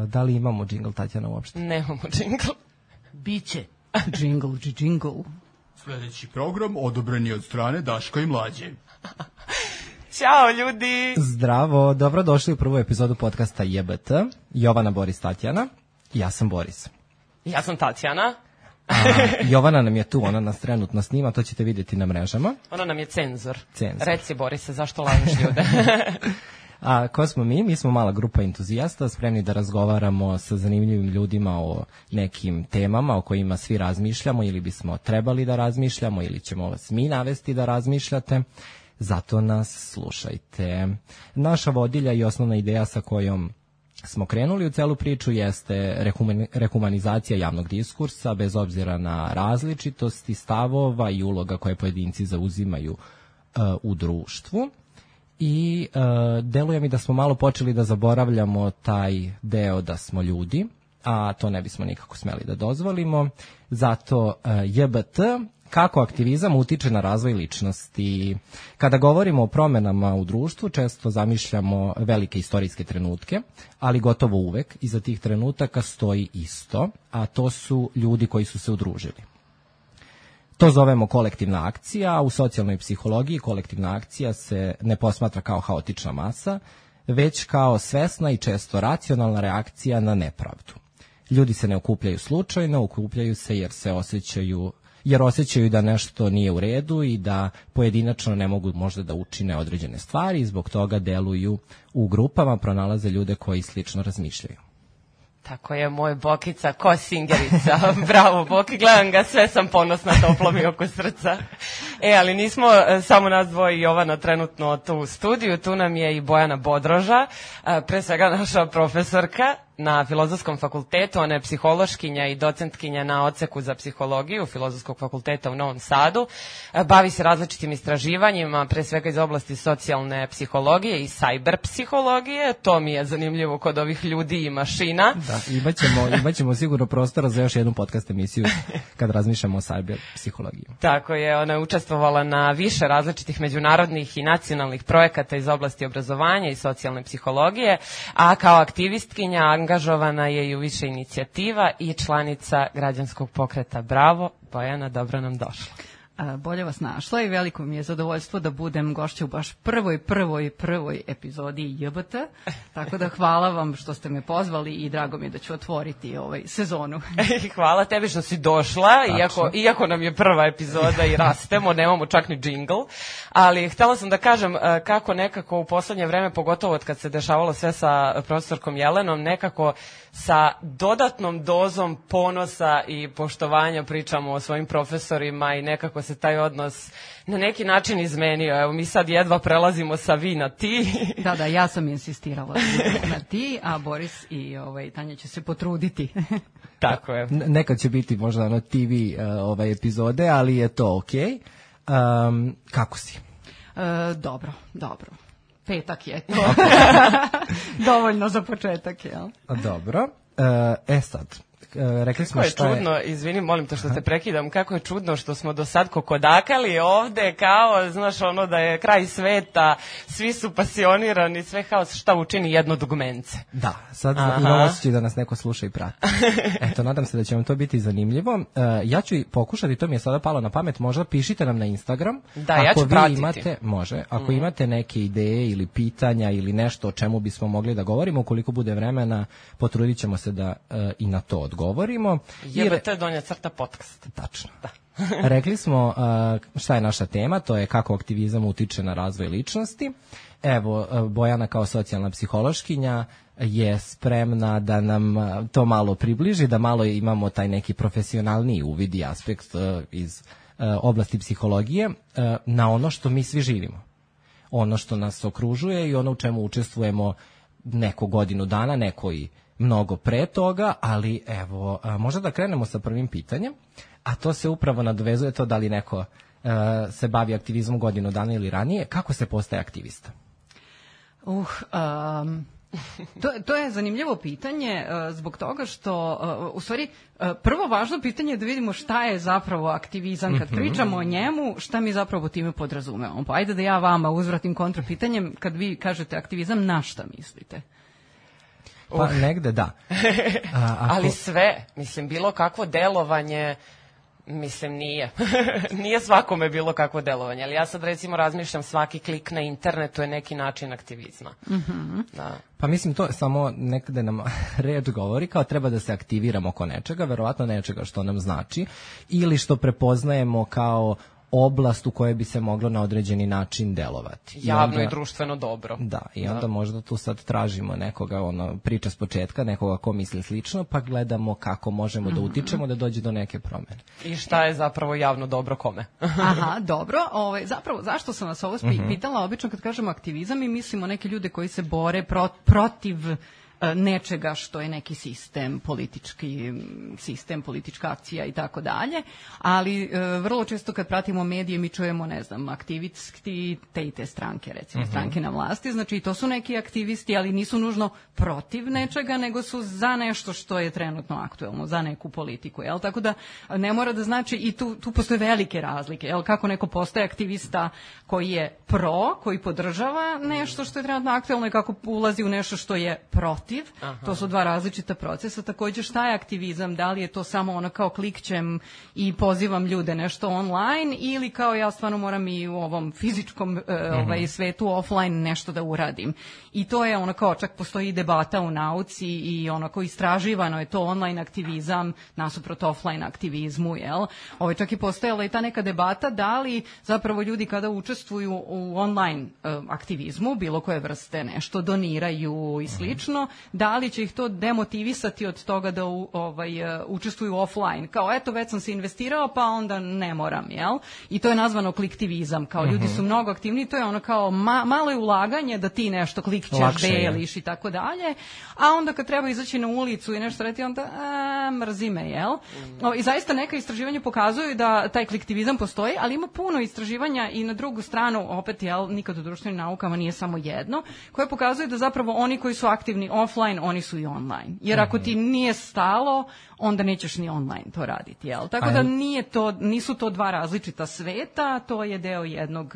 Da li imamo džingl, Tatjana, uopšte? Nemamo džingl. Biće džingl. Sljedeći program odobren je od strane Daška i Mlađe. Ćao ljudi! Zdravo, dobrodošli u prvu epizodu podcasta JBT. Jovana, Boris, Tatjana. Ja sam Boris. Ja sam Tatjana. Jovana nam je tu, ona nas trenutno snima, to ćete vidjeti na mrežama. Ona nam je cenzor. Reci, Borise, zašto lažeš ljude? A ko smo mi? Mi smo mala grupa entuzijasta, spremni da razgovaramo sa zanimljivim ljudima o nekim temama o kojima svi razmišljamo ili bismo trebali da razmišljamo ili ćemo vas mi navesti da razmišljate. Zato nas slušajte. Naša vodilja i osnovna ideja sa kojom smo krenuli u celu priču jeste rehumanizacija javnog diskursa bez obzira na različitosti stavova i uloga koje pojedinci zauzimaju u društvu. I deluje mi da smo malo počeli da zaboravljamo taj deo da smo ljudi, a to ne bismo nikako smeli da dozvolimo. Zato JBT, kako aktivizam utiče na razvoj ličnosti. Kada govorimo o promenama u društvu, često zamišljamo velike istorijske trenutke, ali gotovo uvek iza tih trenutaka stoji isto, a to su ljudi koji su se udružili. To zovemo kolektivna akcija, a u socijalnoj psihologiji kolektivna akcija se ne posmatra kao haotična masa, već kao svesna i često racionalna reakcija na nepravdu. Ljudi se ne okupljaju slučajno, okupljaju se jer osjećaju da nešto nije u redu i da pojedinačno ne mogu možda da učine određene stvari i zbog toga deluju u grupama, pronalaze ljude koji slično razmišljaju. Tako je, moj Bokica, ko singerica. Bravo, Boki, gledam ga, sve sam ponosna, toplo mi oko srca. Ali nismo samo nas dvoje i Jovana trenutno tu u studiju, tu nam je i Bojana Bodroža, pre svega naša profesorka na Filozofskom fakultetu, ona je psihološkinja i docentkinja na odseku za psihologiju Filozofskog fakulteta u Novom Sadu. Bavi se različitim istraživanjima, pre svega iz oblasti socijalne psihologije i cyber psihologije. To mi je zanimljivo kod ovih ljudi i mašina. Da, imaćemo sigurno prostora za još jednu podcast emisiju kad razmišljamo o cyber psihologiji. Tako je, ona je učestvovala na više različitih međunarodnih i nacionalnih projekata iz oblasti obrazovanja i socijalne psihologije, a kao aktivistkinja angažovana je i u više inicijativa i članica građanskog pokreta. Bravo, Bojana, dobro nam došla. Bolje vas našla i veliko mi je zadovoljstvo da budem gošća u baš prvoj epizodi JBT, tako da hvala vam što ste me pozvali i drago mi je da ću otvoriti sezonu. Hvala tebi što si došla, iako nam je prva epizoda i rastemo, nemamo čak ni džingl, ali htjela sam da kažem kako nekako u poslednje vreme, pogotovo od kad se dešavalo sve sa profesorkom Jelenom, nekako sa dodatnom dozom ponosa i poštovanja pričamo o svojim profesorima i nekako se taj odnos na neki način izmenio. Evo, mi sad jedva prelazimo sa vi na ti. Da, ja sam insistirala na ti, a Boris i Tanja će se potruditi. Tako je. Nekad će biti možda TV epizode, ali je to okej. Kako si? Dobro. Petak je to. Dovoljno za početak, jel? Dobro. Sad, rekli smo šta je... Kako je čudno, izvini, molim te što te prekidam, kako je čudno što smo do sad kokodakali ovde kao, znaš, ono da je kraj sveta, svi su pasionirani, sve haos, šta učini jedno dugmence. Da, sad imam osjećaj da nas neko sluša i prati. Eto, nadam se da će vam to biti zanimljivo. Ja ću pokušati, to mi je sada palo na pamet, možda pišite nam na Instagram. Da, ja ću pratiti. Ako imate neke ideje ili pitanja ili nešto o čemu bismo mogli da govorimo, ukoliko bude vremena, potrudit ćemo se da i na to odgovorimo. JBT _ podcast. Tačno. Da. Rekli smo šta je naša tema, to je kako aktivizam utiče na razvoj ličnosti. Evo, Bojana kao socijalna psihološkinja je spremna da nam to malo približi, da malo imamo taj neki profesionalniji uvid i aspekt iz oblasti psihologije na ono što mi svi živimo. Ono što nas okružuje i ono u čemu učestvujemo neko godinu dana, neko i mnogo pre toga, ali evo, možda da krenemo sa prvim pitanjem, a to se upravo nadovezuje to da li neko se bavi aktivizmom godinu dana ili ranije. Kako se postaje aktivista? To je zanimljivo pitanje zbog toga što, u stvari, prvo važno pitanje je da vidimo šta je zapravo aktivizam. Kad pričamo o njemu, šta mi zapravo time podrazumevamo. Pa ajde da ja vama uzvratim kontrapitanjem, kad vi kažete aktivizam, na šta mislite? Pa negde da. Ali sve, mislim, bilo kakvo delovanje, mislim, nije. Nije svakome bilo kakvo delovanje, ali ja sad recimo razmišljam, svaki klik na internetu je neki način aktivizma. Da. Pa mislim, to samo nekada nam reč govori kao treba da se aktiviramo oko nečega, verovatno nečega što nam znači, ili što prepoznajemo kao oblast u kojoj bi se moglo na određeni način delovati. Javno i društveno dobro. Da, i onda možda tu sad tražimo nekoga, priča s početka, nekoga ko misli slično, pa gledamo kako možemo da utičemo da dođe do neke promene. I šta je zapravo javno dobro kome? Aha, dobro. Zapravo, zašto sam vas ovo pitala? Obično kad kažemo aktivizam mi mislimo neke ljude koji se bore protiv nečega što je neki sistem, politički sistem, politička akcija i tako dalje, ali vrlo često kad pratimo medije mi čujemo, ne znam, aktivisti te i te stranke, recimo stranke na vlasti, znači to su neki aktivisti, ali nisu nužno protiv nečega, nego su za nešto što je trenutno aktuelno, za neku politiku, jel? Tako da ne mora da znači, i tu postoje velike razlike, jel? Kako neko postaje aktivista koji je koji podržava nešto što je trenutno aktuelno i kako ulazi u nešto što je protiv. To su dva različita procesa. Također, šta je aktivizam? Da li je to samo ono kao klikćem i pozivam ljude nešto online, ili kao ja stvarno moram i u ovom fizičkom svetu offline nešto da uradim. I to je ono kao, čak postoji debata u nauci i ono kao istraživano je to online aktivizam nasuprot offline aktivizmu, jel? Čak i postojala i ta neka debata da li zapravo ljudi kada učestvuju u online aktivizmu, bilo koje vrste nešto doniraju i slično, da li će ih to demotivisati od toga da učestvuju offline. Kao, eto, već sam se investirao, pa onda ne moram, jel? I to je nazvano kliktivizam. Kao, ljudi su mnogo aktivni, to je ono kao malo je ulaganje da ti nešto klikćeš, deliš i tako dalje, a onda kad treba izaći na ulicu i nešto reti, onda mrzi me, jel? I zaista neka istraživanja pokazuju da taj kliktivizam postoji, ali ima puno istraživanja i na drugu stranu, opet, jel, nikad u društvenim naukama nije samo jedno, koje pokazuju da zapravo oni koji su aktivni offline, oni su i online. Jer ako ti nije stalo, onda nećeš ni online to raditi, jel? Tako da nisu to dva različita sveta, to je deo jednog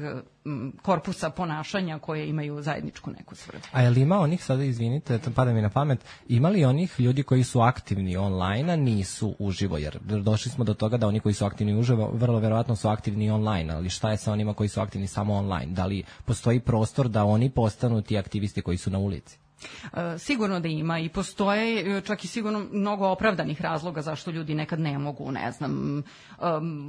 korpusa ponašanja koje imaju zajedničku neku svrhu. A je li ima onih, sada izvinite, pada mi na pamet, ima li onih ljudi koji su aktivni online, a nisu uživo? Jer došli smo do toga da oni koji su aktivni uživo, vrlo verovatno su aktivni online, ali šta je sa onima koji su aktivni samo online? Da li postoji prostor da oni postanu ti aktivisti koji su na ulici? Sigurno da ima i postoje čak i sigurno mnogo opravdanih razloga zašto ljudi nekad ne mogu, ne znam,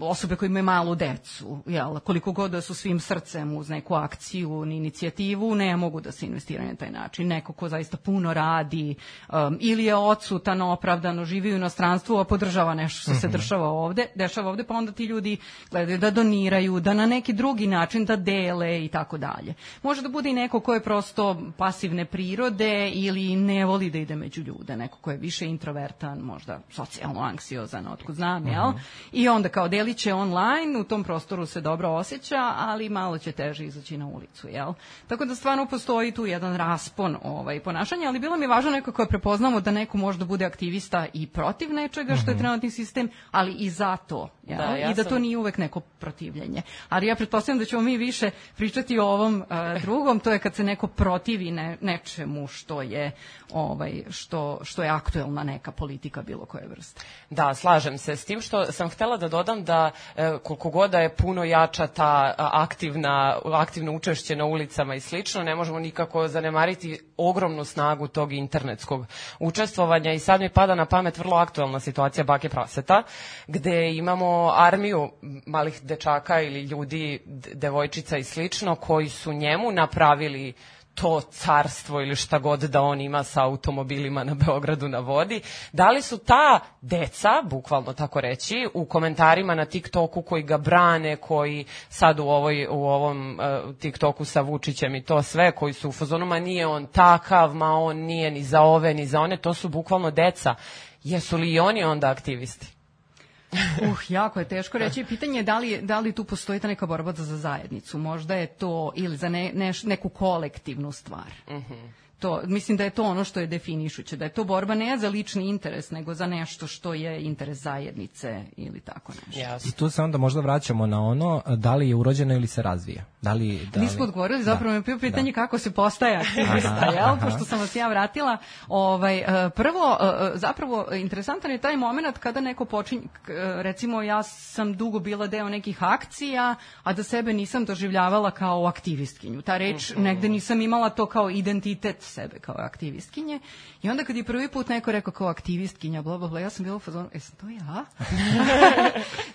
osobe koje imaju malu decu, jel, koliko god da su svim srcem uz neku akciju ni inicijativu, ne mogu da se investiraju na taj način. Neko ko zaista puno radi ili je odsutan opravdano, živi u inostranstvu, a podržava nešto što se dešava ovde, pa onda ti ljudi gledaju da doniraju, da na neki drugi način da dele i tako dalje. Može da bude i neko ko je prosto pasivne prirode ili ne voli da ide među ljude, neko ko je više introvertan, možda socijalno anksiozan, otkud znam, jel? I onda kao delit će online, u tom prostoru se dobro osjeća, ali malo će teže izaći na ulicu, jel? Tako da stvarno postoji tu jedan raspon ponašanja, ali bilo mi je važno nekako prepoznamo da neko možda bude aktivista i protiv nečega što je trenutni sistem, ali i za to, jel? I da to nije uvek neko protivljenje. Ali ja pretpostavljam da ćemo mi više pričati o ovom drugom, to je kad se neko protivi nečemu što je što je aktuelna neka politika bilo koje vrste. Da, slažem se s tim, što sam htela da dodam da koliko god da je puno jača ta aktivno učešće na ulicama i slično, ne možemo nikako zanemariti ogromnu snagu tog internetskog učestvovanja. I sad mi pada na pamet vrlo aktuelna situacija Bake Praseta, gde imamo armiju malih dečaka ili ljudi, devojčica i slično, koji su njemu napravili to carstvo ili šta god da on ima sa automobilima na Beogradu na vodi. Da li su ta deca, bukvalno tako reći, u komentarima na TikToku koji ga brane, koji sad u ovom TikToku sa Vučićem i to sve, koji su u fazonu, ma nije on takav, ma on nije ni za ove, ni za one, to su bukvalno deca. Jesu li i oni onda aktivisti? Jako je teško reći. Pitanje je da li tu postoji ta neka borba za zajednicu. Možda je to ili za neku kolektivnu stvar. mislim da je to ono što je definišuće, da je to borba ne za lični interes, nego za nešto što je interes zajednice ili tako nešto. I tu se onda možda vraćamo na ono da li je urođeno ili se razvija. Nismo odgovorili, zapravo me bio pitanje kako se postaje aktivista, jel? Pošto sam vas ja vratila. Prvo, zapravo, interesantan je taj moment kada neko počinje, recimo ja sam dugo bila deo nekih akcija, a da sebe nisam doživljavala kao aktivistkinju. Ta reč, negde nisam imala to kao identitet sebe kao aktivistkinje. I onda kad je prvi put neko rekao kao aktivistkinja, bla, bla, bla, ja sam bila u fazonu, jesam to ja?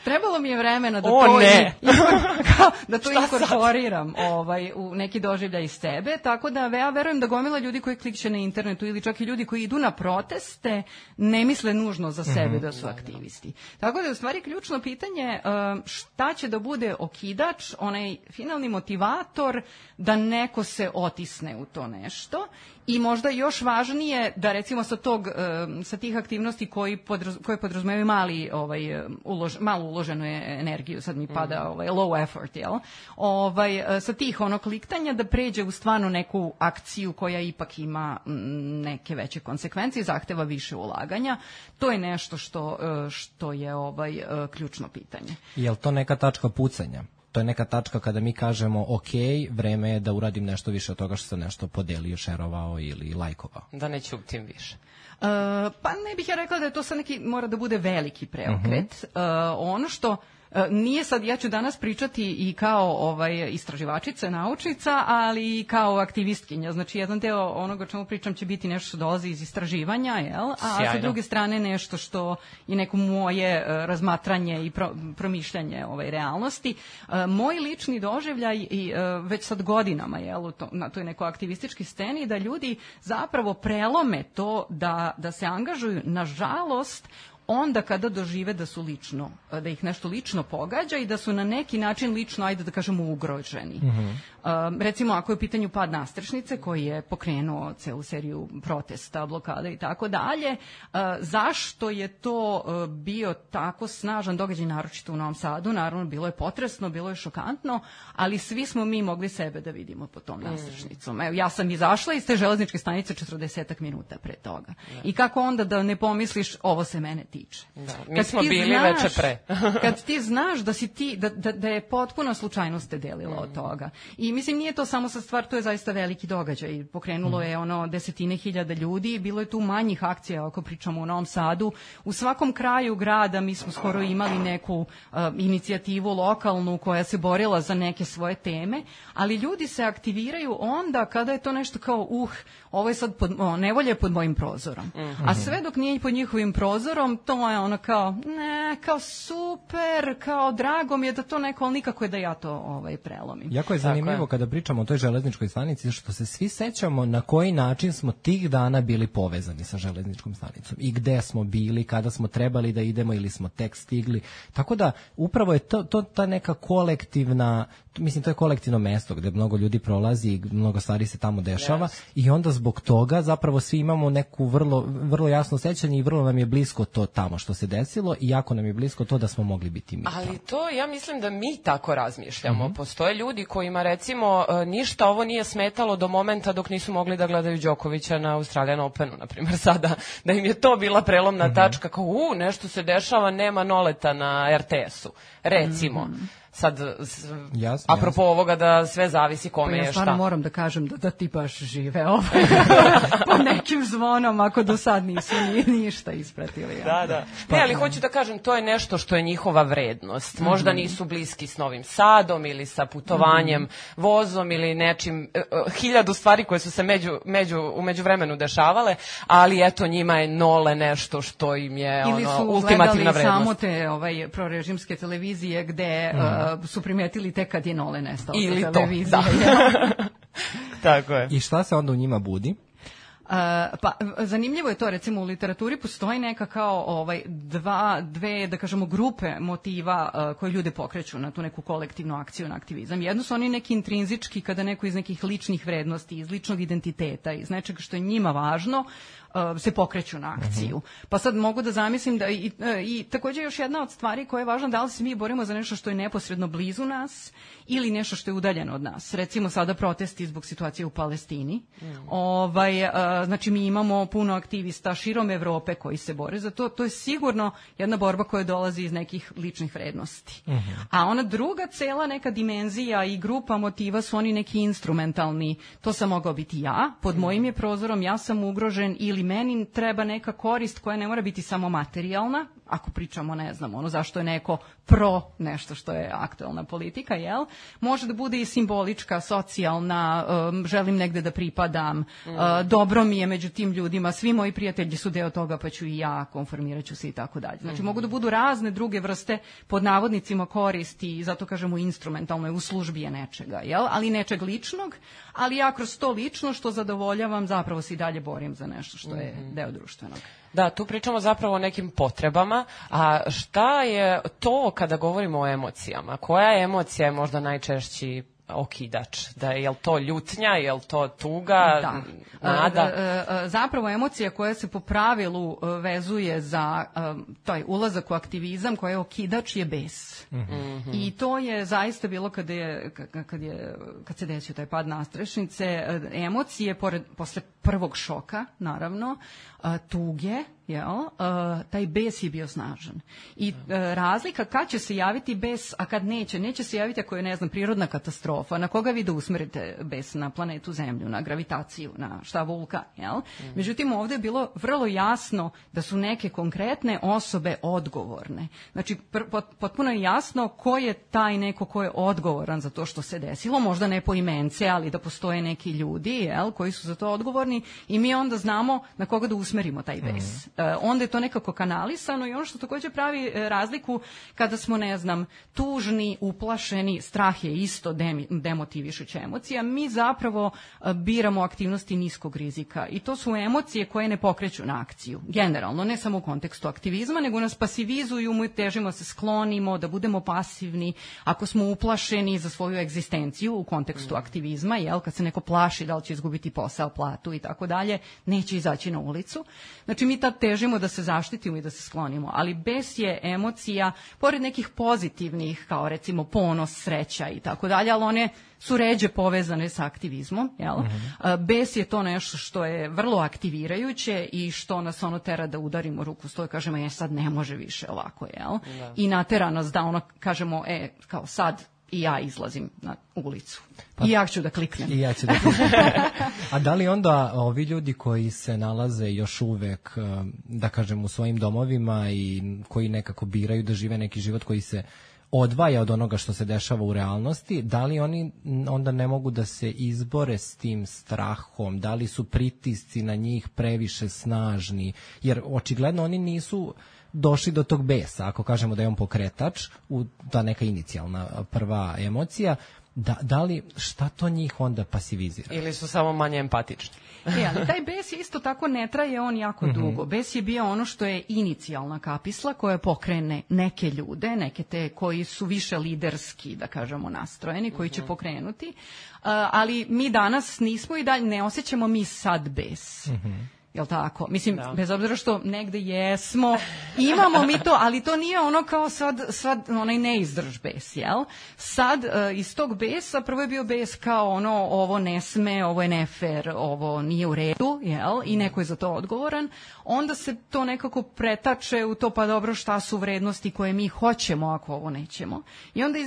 Trebalo mi je vremena da to inkorporiram u neki doživljaj iz sebe, tako da ja verujem da gomila ljudi koji klikće na internetu ili čak i ljudi koji idu na proteste ne misle nužno za sebe da su aktivisti. Tako da je u stvari ključno pitanje šta će da bude okidač, onaj finalni motivator da neko se otisne u to nešto. I možda još važnije da recimo sa tih aktivnosti koje podrazumevaju malo uloženu energiju, sad mi pada low effort, jel? Sa tih kliktanja da pređe u stvarno neku akciju koja ipak ima neke veće konsekvencije i zahteva više ulaganja. To je nešto što je ključno pitanje. Je li to neka tačka pucanja? To je neka tačka kada mi kažemo ok, vreme je da uradim nešto više od toga što sam nešto podelio, šerovao ili lajkovao. Da ne ćutim više. Pa ne bih ja rekla da je to sad neki, mora da bude veliki preokret. Ono što nije sad, ja ću danas pričati i kao istraživačica, naučnica, ali i kao aktivistkinja. Znači, jedan deo onoga o čemu pričam će biti nešto što dolazi iz istraživanja, jel? A sa druge strane nešto što je neko moje razmatranje i promišljanje realnosti. Moj lični doživljaj već sad godinama, jel, na toj nekoj aktivističkoj sceni, da ljudi zapravo prelome to da se angažuju, nažalost, onda kada dožive da ih nešto lično pogađa i da su na neki način lično, ajde da kažemo, ugroženi. Recimo, ako je u pitanju pad Nastrešnice, koji je pokrenuo celu seriju protesta, blokada i tako dalje, zašto je to bio tako snažan događaj, naročito u Novom Sadu? Naravno, bilo je potresno, bilo je šokantno, ali svi smo mi mogli sebe da vidimo pod tom Nastrešnicom. Evo, ja sam izašla iz te železničke stanice 40 minuta pre toga. I kako onda da ne pomisliš, ovo se mene tiče. Mi smo bili veče pre. Kad ti znaš da si ti, da je potpuno slučajnost te delila od toga. I mislim, nije to samo sa stvar, to je zaista veliki događaj. Pokrenulo je desetine hiljada ljudi, bilo je tu manjih akcija, ako pričamo u Novom Sadu. U svakom kraju grada mi smo skoro imali neku inicijativu lokalnu koja se borila za neke svoje teme, ali ljudi se aktiviraju onda kada je to nešto kao ovo je sad nevolje pod mojim prozorom. A sve dok nije pod njihovim prozorom, to je kao super, kao drago mi je da to neko, ali nikako je da ja to prelomim. Jako je zanimljivo kada pričamo o toj železničkoj stanici, što se svi sećamo na koji način smo tih dana bili povezani sa železničkom stanicom i gde smo bili, kada smo trebali da idemo ili smo tek stigli. Tako da upravo je to ta neka kolektivna, mislim, to je kolektivno mesto gde mnogo ljudi prolazi i mnogo stvari se tamo dešava i onda zbog toga zapravo svi imamo neku vrlo jasno sećanje i vrlo nam je blisko to tamo što se desilo i jako nam je blisko to da smo mogli biti mi. Ali to, ja mislim da mi tako razmišljamo. Postoje ljudi kojima, recimo, ništa ovo nije smetalo do momenta dok nisu mogli da gledaju Đokovića na Australian Openu, na primjer, sada, da im je to bila prelomna tačka, kao nešto se dešava, nema Noleta na RTS-u, recimo. Sad, apropo ovoga da sve zavisi kome je šta. Ja stvarno moram da kažem da ti baš žive po nekim zvonom, ako do sad nisu ništa ispratili. Da. Ne, ali hoću da kažem, to je nešto što je njihova vrednost. Možda nisu bliski s Novim Sadom ili sa putovanjem vozom ili nečim, 1000 stvari koje su se u međuvremenu dešavale, ali eto, njima je Nole nešto što im je ultimativna vrednost. Ili su gledali samo te prorežimske televizije gde su primetili tek kad je Nole nestao sa televizije. Tako je. I šta se onda u njima budi? Pa zanimljivo je to, recimo u literaturi postoji neka kao dve, da kažemo, grupe motiva koje ljude pokreću na tu neku kolektivnu akciju, na aktivizam. Jedno su oni neki intrinzički, kada neko iz nekih ličnih vrednosti, iz ličnog identiteta, iz nečega što je njima važno, se pokreću na akciju. Pa sad mogu da zamislim da i također još jedna od stvari koja je važna, da li se mi borimo za nešto što je neposredno blizu nas ili nešto što je udaljeno od nas. Recimo sada protesti zbog situacije u Palestini. Znači mi imamo puno aktivista širom Evrope koji se bore za to. To je sigurno jedna borba koja dolazi iz nekih ličnih vrednosti. A ona druga cela neka dimenzija i grupa motiva su oni neki instrumentalni. To sam mogao biti ja, pod mojim je prozorom, ja sam ugrožen ili meni treba neka korist koja ne mora biti samo materijalna, ako pričamo, ne znam, ono zašto je neko pro nešto što je aktuelna politika, jel? Može da bude i simbolička, socijalna, želim negde da pripadam, dobro mi je među tim ljudima, svi moji prijatelji su deo toga, pa ću i ja, konformirat ću se i tako dalje. Znači, mogu da budu razne druge vrste pod navodnicima koristi i zato kažemo instrumentalno je u službi je nečega, jel? Ali nečeg ličnog, ali ja kroz to lično što zadovoljavam zapravo se i dalje borim za nešto što je deo društvenog. Da, tu pričamo zapravo o nekim potrebama, a šta je to kada govorimo o emocijama? Koja emocija je možda najčešći okidač? Da je li to ljutnja, je li to tuga, nada? Zapravo emocija koja se po pravilu vezuje za taj ulazak u aktivizam, koja je okidač, je bes. I to je zaista bilo kad se desio taj pad nastrešnice, emocije posle prvog šoka, naravno, tuge, taj bes je bio snažan. I razlika kad će se javiti bes, a kad neće se javiti ako je, ne znam, prirodna katastrofa, na koga vi da usmerite bes, na planetu Zemlju, na gravitaciju, na šta vulkan, jel? Međutim, ovdje je bilo vrlo jasno da su neke konkretne osobe odgovorne. Znači, potpuno je jasno ko je taj neko ko je odgovoran za to što se desilo, možda ne po imence, ali da postoje neki ljudi, jel, koji su za to odgovorni i mi onda znamo na koga da usmerimo taj bes. Onda je to nekako kanalisano i ono što također pravi razliku kada smo, ne znam, tužni, uplašeni, strah je isto demotivišuća emocija, mi zapravo biramo aktivnosti niskog rizika i to su emocije koje ne pokreću na akciju. Generalno, ne samo u kontekstu aktivizma, nego nas pasivizuju, mi težimo se sklonimo, da budemo pasivni, ako smo uplašeni za svoju egzistenciju u kontekstu aktivizma, jel, kad se neko plaši da li će izgubiti posao, platu i tako dalje, neće izaći na ulicu. Znači, mi tad težimo da se zaštitimo i da se sklonimo, ali bes je emocija, pored nekih pozitivnih, kao recimo ponos, sreća i tako dalje, ali one su ređe povezane sa aktivizmom, jel? Bes je to nešto što je vrlo aktivirajuće i što nas ono tera da udarimo ruku stoj, kažemo, sad ne može više ovako, jel? Da. I natera nas da ono kažemo, kao sad i ja izlazim na ulicu. I ja ću da kliknem. I ja ću da kliknem. A da li onda ovi ljudi koji se nalaze još uvek, da kažem, u svojim domovima i koji nekako biraju da žive neki život koji se odvaja od onoga što se dešava u realnosti, da li oni onda ne mogu da se izbore s tim strahom, da li su pritisci na njih previše snažni, jer očigledno oni nisu došli do tog besa, ako kažemo da je on pokretač, ta neka inicijalna prva emocija, da li, šta to njih onda pasivizira? Ili su samo manje empatični? Ali taj bes isto tako ne traje on jako dugo. Bes je bio ono što je inicijalna kapisla koja pokrene neke ljude, neke te koji su više liderski, da kažemo, nastrojeni, koji će pokrenuti, ali mi danas nismo i dalje, ne osjećamo mi sad bes. Jel tako? Mislim, bez obzira što negde jesmo, imamo mi to, ali to nije ono kao sad onaj neizdrž bes, jel? Sad iz tog besa prvo je bio bes kao ono, ovo ne sme, ovo je nefer, ovo nije u redu, jel? I neko je za to odgovoran. Onda se to nekako pretače u to, pa dobro, šta su vrednosti koje mi hoćemo ako ovo nećemo. I onda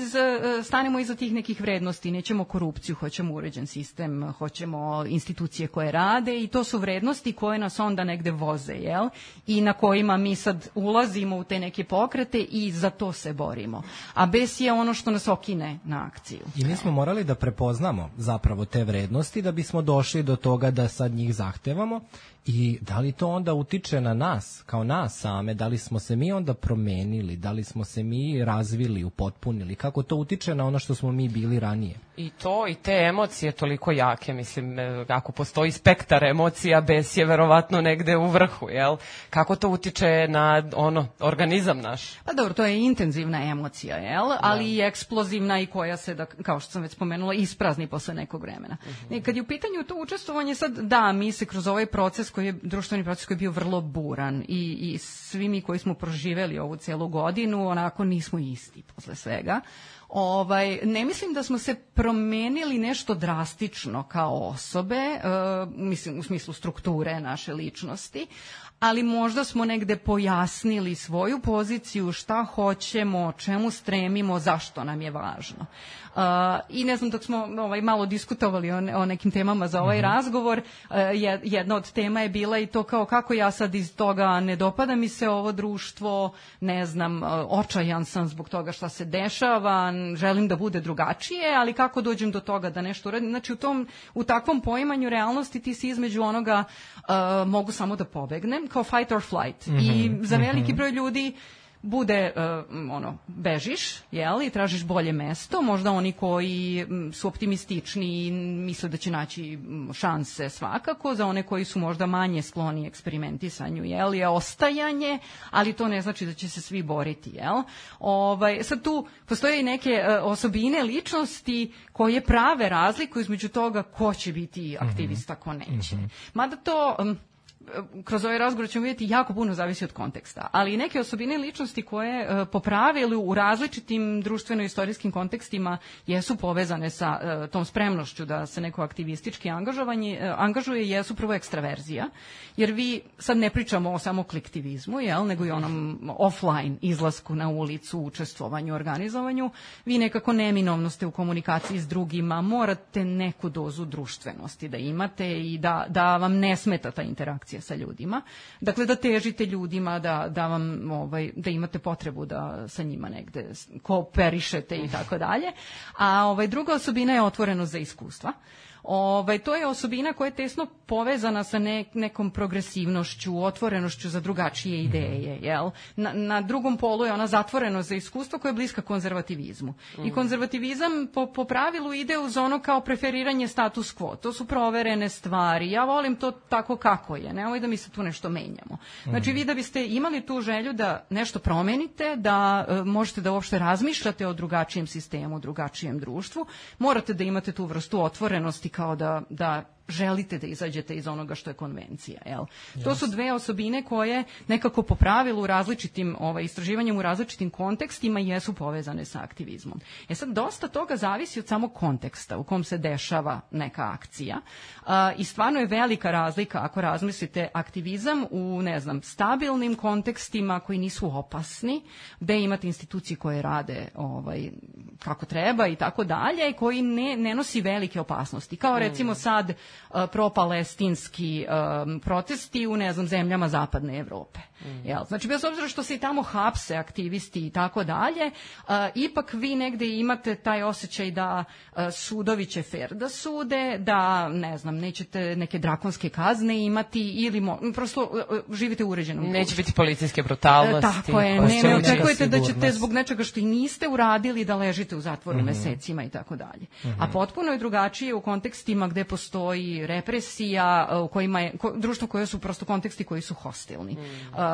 stanemo iza tih nekih vrednosti, nećemo korupciju, hoćemo uređen sistem, hoćemo institucije koje rade i to su vrednosti koje nas onda negde voze, jel? I na kojima mi sad ulazimo u te neke pokrete i za to se borimo. A bes je ono što nas okine na akciju. I mi smo morali da prepoznamo zapravo te vrednosti da bismo došli do toga da sad njih zahtevamo. I da li to onda utiče na nas, kao nas same, da li smo se mi onda promenili, da li smo se mi razvili, upotpunili, kako to utiče na ono što smo mi bili ranije? I to, i te emocije toliko jake, mislim, ako postoji spektar emocija, bes je verovatno negde u vrhu, jel? Kako to utiče na organizam naš? Pa dobro, to je intenzivna emocija, jel? Ali i eksplozivna i koja se, kao što sam već spomenula, isprazni posle nekog vremena. Kad je u pitanju to učestvovanje, sad da, mi se kroz ovaj proces društveni proces koji je bio vrlo buran i svi mi koji smo proživeli ovu celu godinu, onako nismo isti posle svega. Ne mislim da smo se promenili nešto drastično kao osobe, mislim u smislu strukture naše ličnosti, ali možda smo negde pojasnili svoju poziciju, šta hoćemo, čemu stremimo, zašto nam je važno. I ne znam, dok smo malo diskutovali o nekim temama za ovaj razgovor, jedna od tema je bila i to kao kako ja sad iz toga ne dopada mi se ovo društvo, ne znam, očajan sam zbog toga šta se dešava, želim da bude drugačije, ali kako dođem do toga da nešto uradim. Znači u takvom poimanju realnosti ti si između onoga mogu samo da pobegnem, kao fight or flight. I za veliki broj ljudi bude, bežiš, jel, i tražiš bolje mesto, možda oni koji su optimistični i misle da će naći šanse svakako, za one koji su možda manje skloni eksperimentisanju, jel, je ostajanje, ali to ne znači da će se svi boriti, jel. Sad tu postoje i neke osobine ličnosti koje prave razliku između toga ko će biti aktivista, ko neće. Mada to kroz ovaj razgovor ćemo vidjeti jako puno zavisi od konteksta, ali i neke osobine ličnosti koje po pravilu u različitim društveno-istorijskim kontekstima jesu povezane sa tom spremnošću da se neko aktivistički angažuje, jesu prvo ekstraverzija, jer vi sad ne pričamo o samo kolektivizmu, jel, nego i onom offline izlasku na ulicu, učestvovanju, organizovanju, vi nekako neminovno ste u komunikaciji s drugima, morate neku dozu društvenosti da imate i da vam ne smeta ta interakcija sa ljudima. Dakle, da težite ljudima, da imate potrebu da sa njima negde kooperišete i tako dalje. A druga osobina je otvorenost za iskustva. To je osobina koja je tesno povezana sa nekom progresivnošću, otvorenošću za drugačije ideje. Jel? Na drugom polu je ona zatvorenost za iskustvo koja je bliska konzervativizmu. I konzervativizam po pravilu ide uz ono kao preferiranje status quo. To su proverene stvari. Ja volim to tako kako je. Nemoj da mi se tu nešto menjamo. Znači vi da biste imali tu želju da nešto promenite, da možete da uopšte razmišljate o drugačijem sistemu, drugačijem društvu, morate da imate tu vrstu otvorenosti kao da želite da izađete iz onoga što je konvencija. Jel? To su dve osobine koje nekako po pravilu u različitim istraživanjem u različitim kontekstima jesu povezane sa aktivizmom. Sad, dosta toga zavisi od samog konteksta u kom se dešava neka akcija i stvarno je velika razlika ako razmislite aktivizam u, ne znam, stabilnim kontekstima koji nisu opasni, gde imate institucije koje rade kako treba i tako dalje, koji ne nosi velike opasnosti. Kao recimo sad propalestinski protesti u, ne znam, zemljama zapadne Evrope. Znači, bez obzira što se i tamo hapse aktivisti i tako dalje, ipak vi negde imate taj osjećaj da sudovi će fer da sude, da, ne znam, nećete neke drakonske kazne imati ili prosto živite u uređenom društvu. Neće biti policijske brutalnosti. Tako je, ne očekujete da ćete zbog nečega što i niste uradili da ležite u zatvoru mesecima i tako dalje. A potpuno je drugačije u kontekstima gde postoji represija, u kojima je društvo koje su prosto konteksti koji su hostilni.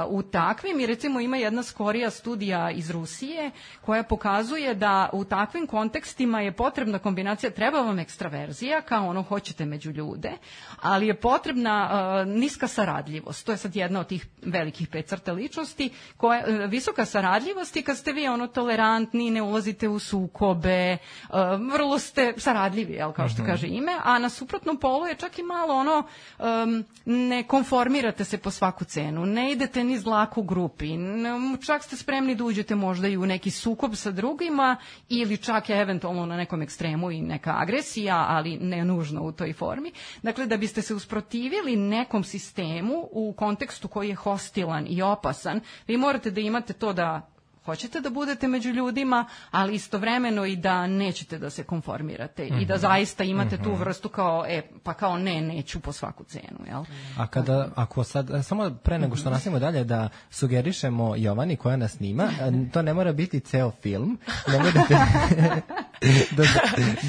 U takvim, i recimo ima jedna skorija studija iz Rusije koja pokazuje da u takvim kontekstima je potrebna kombinacija, treba vam ekstraverzija, kao ono hoćete među ljude, ali je potrebna niska saradljivost. To je sad jedna od tih velikih 5 crta ličnosti, visoka saradljivost i kad ste vi tolerantni, ne ulazite u sukobe, vrlo ste saradljivi, kao što kaže ime, a na suprotnom polu je čak i malo ne konformirate se po svaku cenu, ne idete ni zlaku u grupi, čak ste spremni da uđete možda i u neki sukob sa drugima ili čak je eventualno na nekom ekstremu i neka agresija, ali ne nužno u toj formi. Dakle, da biste se usprotivili nekom sistemu u kontekstu koji je hostilan i opasan, vi morate da imate to da hoćete da budete među ljudima, ali istovremeno i da nećete da se konformirate i da zaista imate tu vrstu kao, kao neću po svaku cenu, jel? A ako sad, samo pre nego što nastavimo dalje, da sugerišemo Jovani koja nas snima, to ne mora biti ceo film, nemoj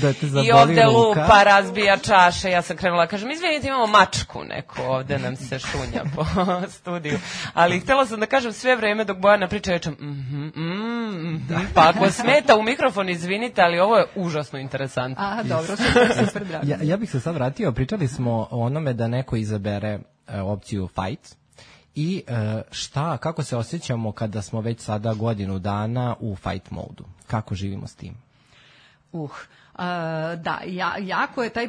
da te zaboli ruka. I ovde lupa, razbija čaše, ja sam krenula, kažem, izvinite, imamo mačku neko, ovde nam se šunja po studiju, ali htjela sam da kažem sve vreme dok Bojana priča, rečem, pa ako smeta u mikrofon, izvinite, ali ovo je užasno interesantno. Dobro, super, drago. Ja bih se sad vratio, pričali smo o onome da neko izabere opciju fight. I kako se osjećamo kada smo već sada godinu dana u fight modu? Kako živimo s tim? Da, jako je taj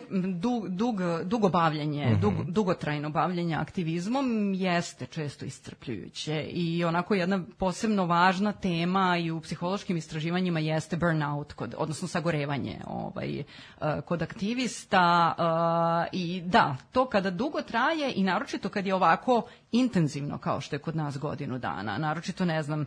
dugo bavljanje, dugotrajno bavljanje aktivizmom jeste često iscrpljujuće i onako jedna posebno važna tema i u psihološkim istraživanjima jeste burnout, odnosno sagorevanje kod aktivista i da, to kada dugo traje i naročito kad je ovako intenzivno kao što je kod nas godinu dana. Naročito, ne znam,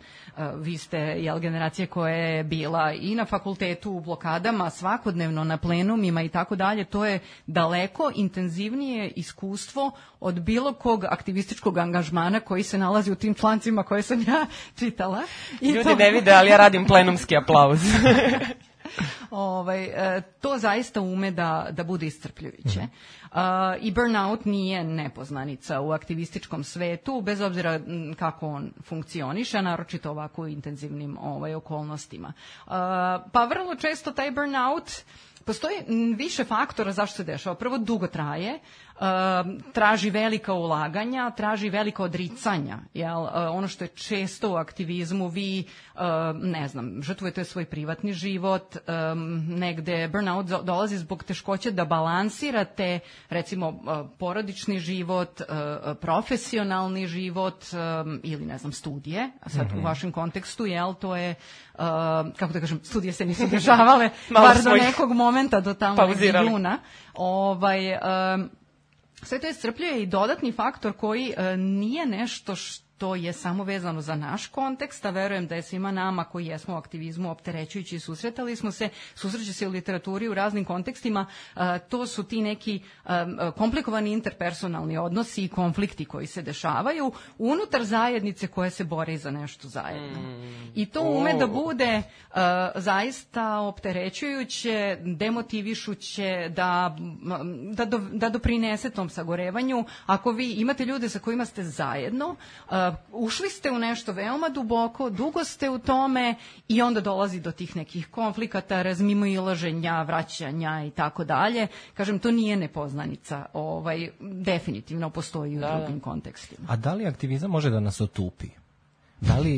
vi ste generacija koja je bila i na fakultetu u blokadama, svakodnevno na plenumima i tako dalje. To je daleko intenzivnije iskustvo od bilo kog aktivističkog angažmana koji se nalazi u tim člancima koje sam ja čitala. Ljudi ne vide, ali ja radim plenumski aplauz. To zaista ume da bude iscrpljujuće. I burnout nije nepoznanica u aktivističkom svetu, bez obzira kako on funkcioniše, naročito ovako u intenzivnim okolnostima. Pa vrlo često taj burnout, postoji više faktora zašto se dešava. Prvo, dugo traje, traži velika ulaganja, traži velika odricanja. Ono što je često u aktivizmu, vi, ne znam, žrtvujete svoj privatni život, negde burnout dolazi zbog teškoće da balansirate, recimo, porodični život, profesionalni život ili, ne znam, studije. Sad u vašem kontekstu, to je, kako da kažem, studije se nisu dešavale, bar do nekog momenta, do tamo juna. Sve to iscrpljuje i dodatni faktor koji nije nešto što je samo vezano za naš kontekst, a verujem da je svima nama koji jesmo u aktivizmu opterećujući i susreće se u literaturi u raznim kontekstima, to su ti neki komplikovani interpersonalni odnosi i konflikti koji se dešavaju unutar zajednice koje se bore za nešto zajedno. I to ume da bude zaista opterećujuće, demotivišuće, da doprinese tom sagorevanju. Ako vi imate ljude sa kojima ste zajedno, ušli ste u nešto veoma duboko, dugo ste u tome i onda dolazi do tih nekih konflikata, razmimoilaženja, vraćanja i tako dalje. Kažem, to nije nepoznanica. Definitivno postoji u drugim kontekstima. A da li aktivizam može da nas otupi?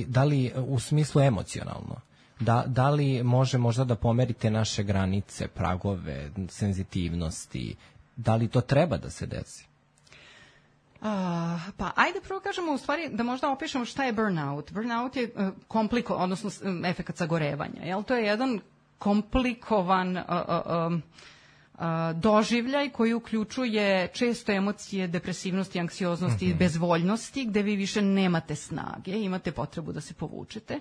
Da li u smislu emocionalno? Da li može možda da pomerite naše granice, pragove, senzitivnosti? Da li to treba da se desi? Pa ajde prvo kažemo u stvari da možda opišemo šta je burnout. Burnout je odnosno efekat sagorevanja. To je jedan komplikovan doživljaj koji uključuje često emocije depresivnosti, anksioznosti i bezvoljnosti, gde vi više nemate snage, imate potrebu da se povučete.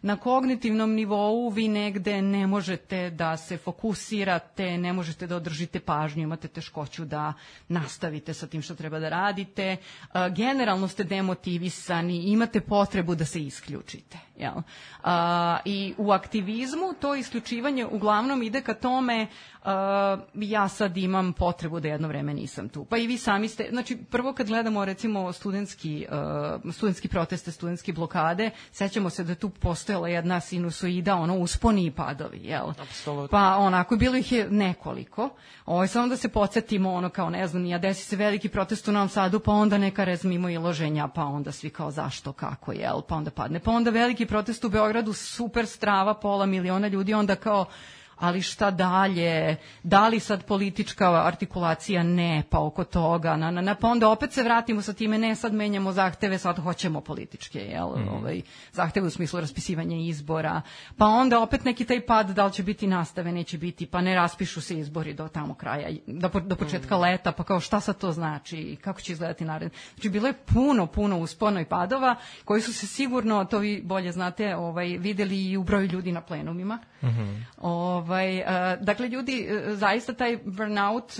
Na kognitivnom nivou vi negde ne možete da se fokusirate, ne možete da održite pažnju, imate teškoću da nastavite sa tim što treba da radite. Generalno ste demotivisani, imate potrebu da se isključite. I u aktivizmu to isključivanje uglavnom ide ka tome ja sad imam potrebu da jedno vreme nisam tu. Pa i vi sami ste, znači prvo kad gledamo recimo studentski proteste, studentske blokade, sećamo se da tu postojala jedna sinusoida, usponi i padovi, Apsolutno. Pa onako, bilo ih je nekoliko. Samo da se podsjetimo, kao ne znam, desi se veliki protest u Novom Sadu, pa onda neka mimoilaženja, pa onda svi kao zašto, kako, pa onda padne. Pa onda veliki protest u Beogradu, super strava, 500 miliona ljudi, onda kao ali šta dalje, da li sad politička artikulacija, ne, pa oko toga, pa onda opet se vratimo sa time, ne, sad menjamo zahteve, sad hoćemo političke, zahteve u smislu raspisivanja izbora, pa onda opet neki taj pad, da li će biti nastave, neće biti, pa ne raspišu se izbori do tamo kraja, do početka leta, pa kao šta sad to znači, kako će izgledati naredno. Znači bilo je puno uspona i padova, koji su se sigurno, to vi bolje znate, videli i u broju ljudi na plenumima. Dakle, ljudi, zaista taj burnout,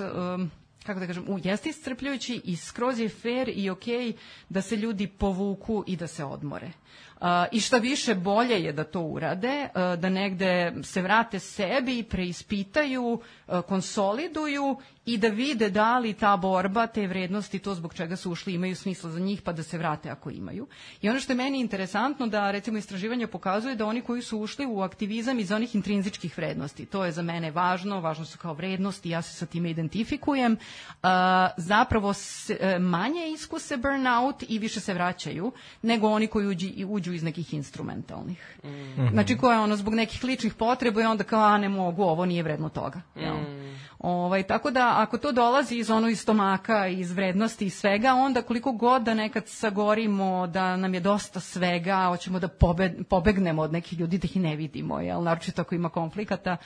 kako da kažem, jeste iscrpljujući i skroz je fair i okej da se ljudi povuku i da se odmore. I šta više, bolje je da to urade, da negde se vrate sebi, preispitaju, konsoliduju i da vide da li ta borba, te vrednosti, to zbog čega su ušli imaju smisla za njih, pa da se vrate ako imaju. I ono što je meni interesantno da recimo istraživanje pokazuje da oni koji su ušli u aktivizam iz onih intrinzičkih vrednosti, to je za mene važno su kao vrednosti, ja se sa time identifikujem, zapravo manje iskuse burnout i više se vraćaju nego oni koji uđu iz nekih instrumentalnih. Znači koje ono zbog nekih ličnih potreba i onda kao ne mogu, ovo nije vredno toga. Tako da ako to dolazi iz stomaka, iz vrednosti i svega, onda koliko god da nekad sagorimo da nam je dosta svega, hoćemo da pobegnemo od nekih ljudi, da ih ne vidimo, naročito ako ima konflikata,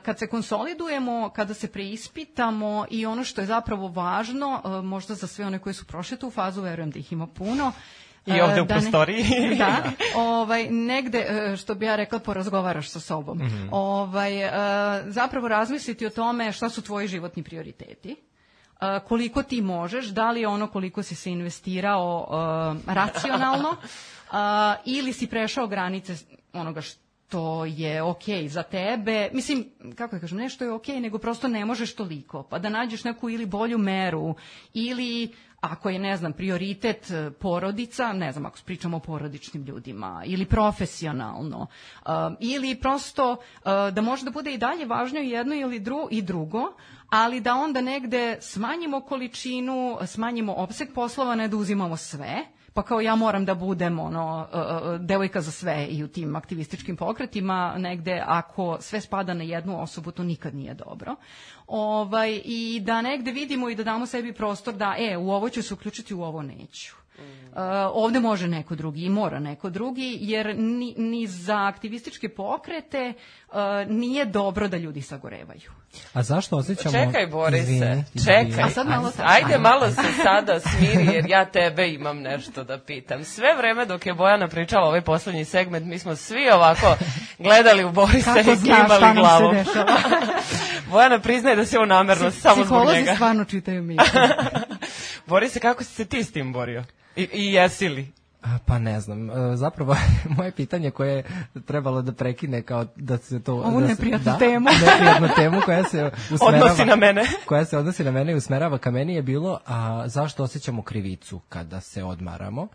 kad se konsolidujemo, kada se preispitamo i ono što je zapravo važno, možda za sve one koji su prošli tu fazu, verujem da ih ima puno, i ovde u prostoriji. Negde, što bi ja rekla, porazgovaraš sa sobom. Zapravo razmisliti o tome šta su tvoji životni prioriteti, koliko ti možeš, da li je ono koliko si se investirao racionalno ili si prešao granice onoga što je okej za tebe. Mislim, kako da kažem, ne što je okej, nego prosto ne možeš toliko. Pa da nađeš neku ili bolju meru ili ako je, ne znam, prioritet porodica, ne znam, ako pričamo o porodičnim ljudima, ili profesionalno, ili prosto da može da bude i dalje važno jedno ili drugo, ali da onda negde smanjimo količinu, smanjimo opseg poslova, ne da uzimamo sve, pa kao ja moram da budem devojka za sve i u tim aktivističkim pokretima, negde ako sve spada na jednu osobu, to nikad nije dobro. I da negde vidimo i da damo sebi prostor da u ovo ću se uključiti, u ovo neću. Ovde može neko drugi i mora neko drugi, jer ni za aktivističke pokrete nije dobro da ljudi sagorevaju. A zašto osjećamo... Čekaj, Borise, čekaj. Ajde malo se sada smiri, jer ja tebe imam nešto da pitam. Sve vreme dok je Bojana pričala ovaj poslednji segment, mi smo svi ovako gledali u Borisa i klimali glavom. Bojana priznaje da se ovo namerno samo zbog njega. Psiholozi stvarno čitaju misle. Borise, kako si se ti s tim borio? I jesi li? Pa ne znam, zapravo moje pitanje koje je trebalo da prekine kao da se to... Ovu neprijatnu temu. Neprijatnu temu koja se usmerava... Odnosi na mene. Koja se odnosi na mene i usmerava ka meni je bilo, a zašto osjećamo krivicu kada se odmaramo?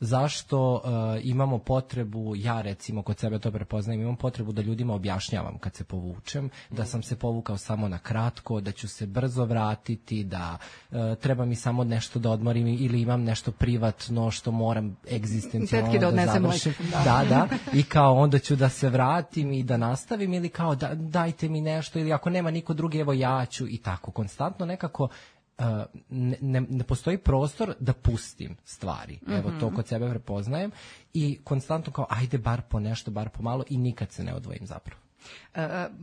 Zašto imamo potrebu, ja recimo kod sebe to prepoznajem, imam potrebu da ljudima objašnjavam kad se povučem, da sam se povukao samo na kratko, da ću se brzo vratiti, da treba mi samo nešto da odmorim ili imam nešto privatno što moram egzistencijalno da završim. Da, i kao onda ću da se vratim i da nastavim ili kao dajte mi nešto ili ako nema niko drugi, evo ja ću i tako. Konstantno nekako ne postoji prostor da pustim stvari. Evo to kod sebe prepoznajem i konstantno kao ajde bar po nešto, bar po malo i nikad se ne odvojim zapravo.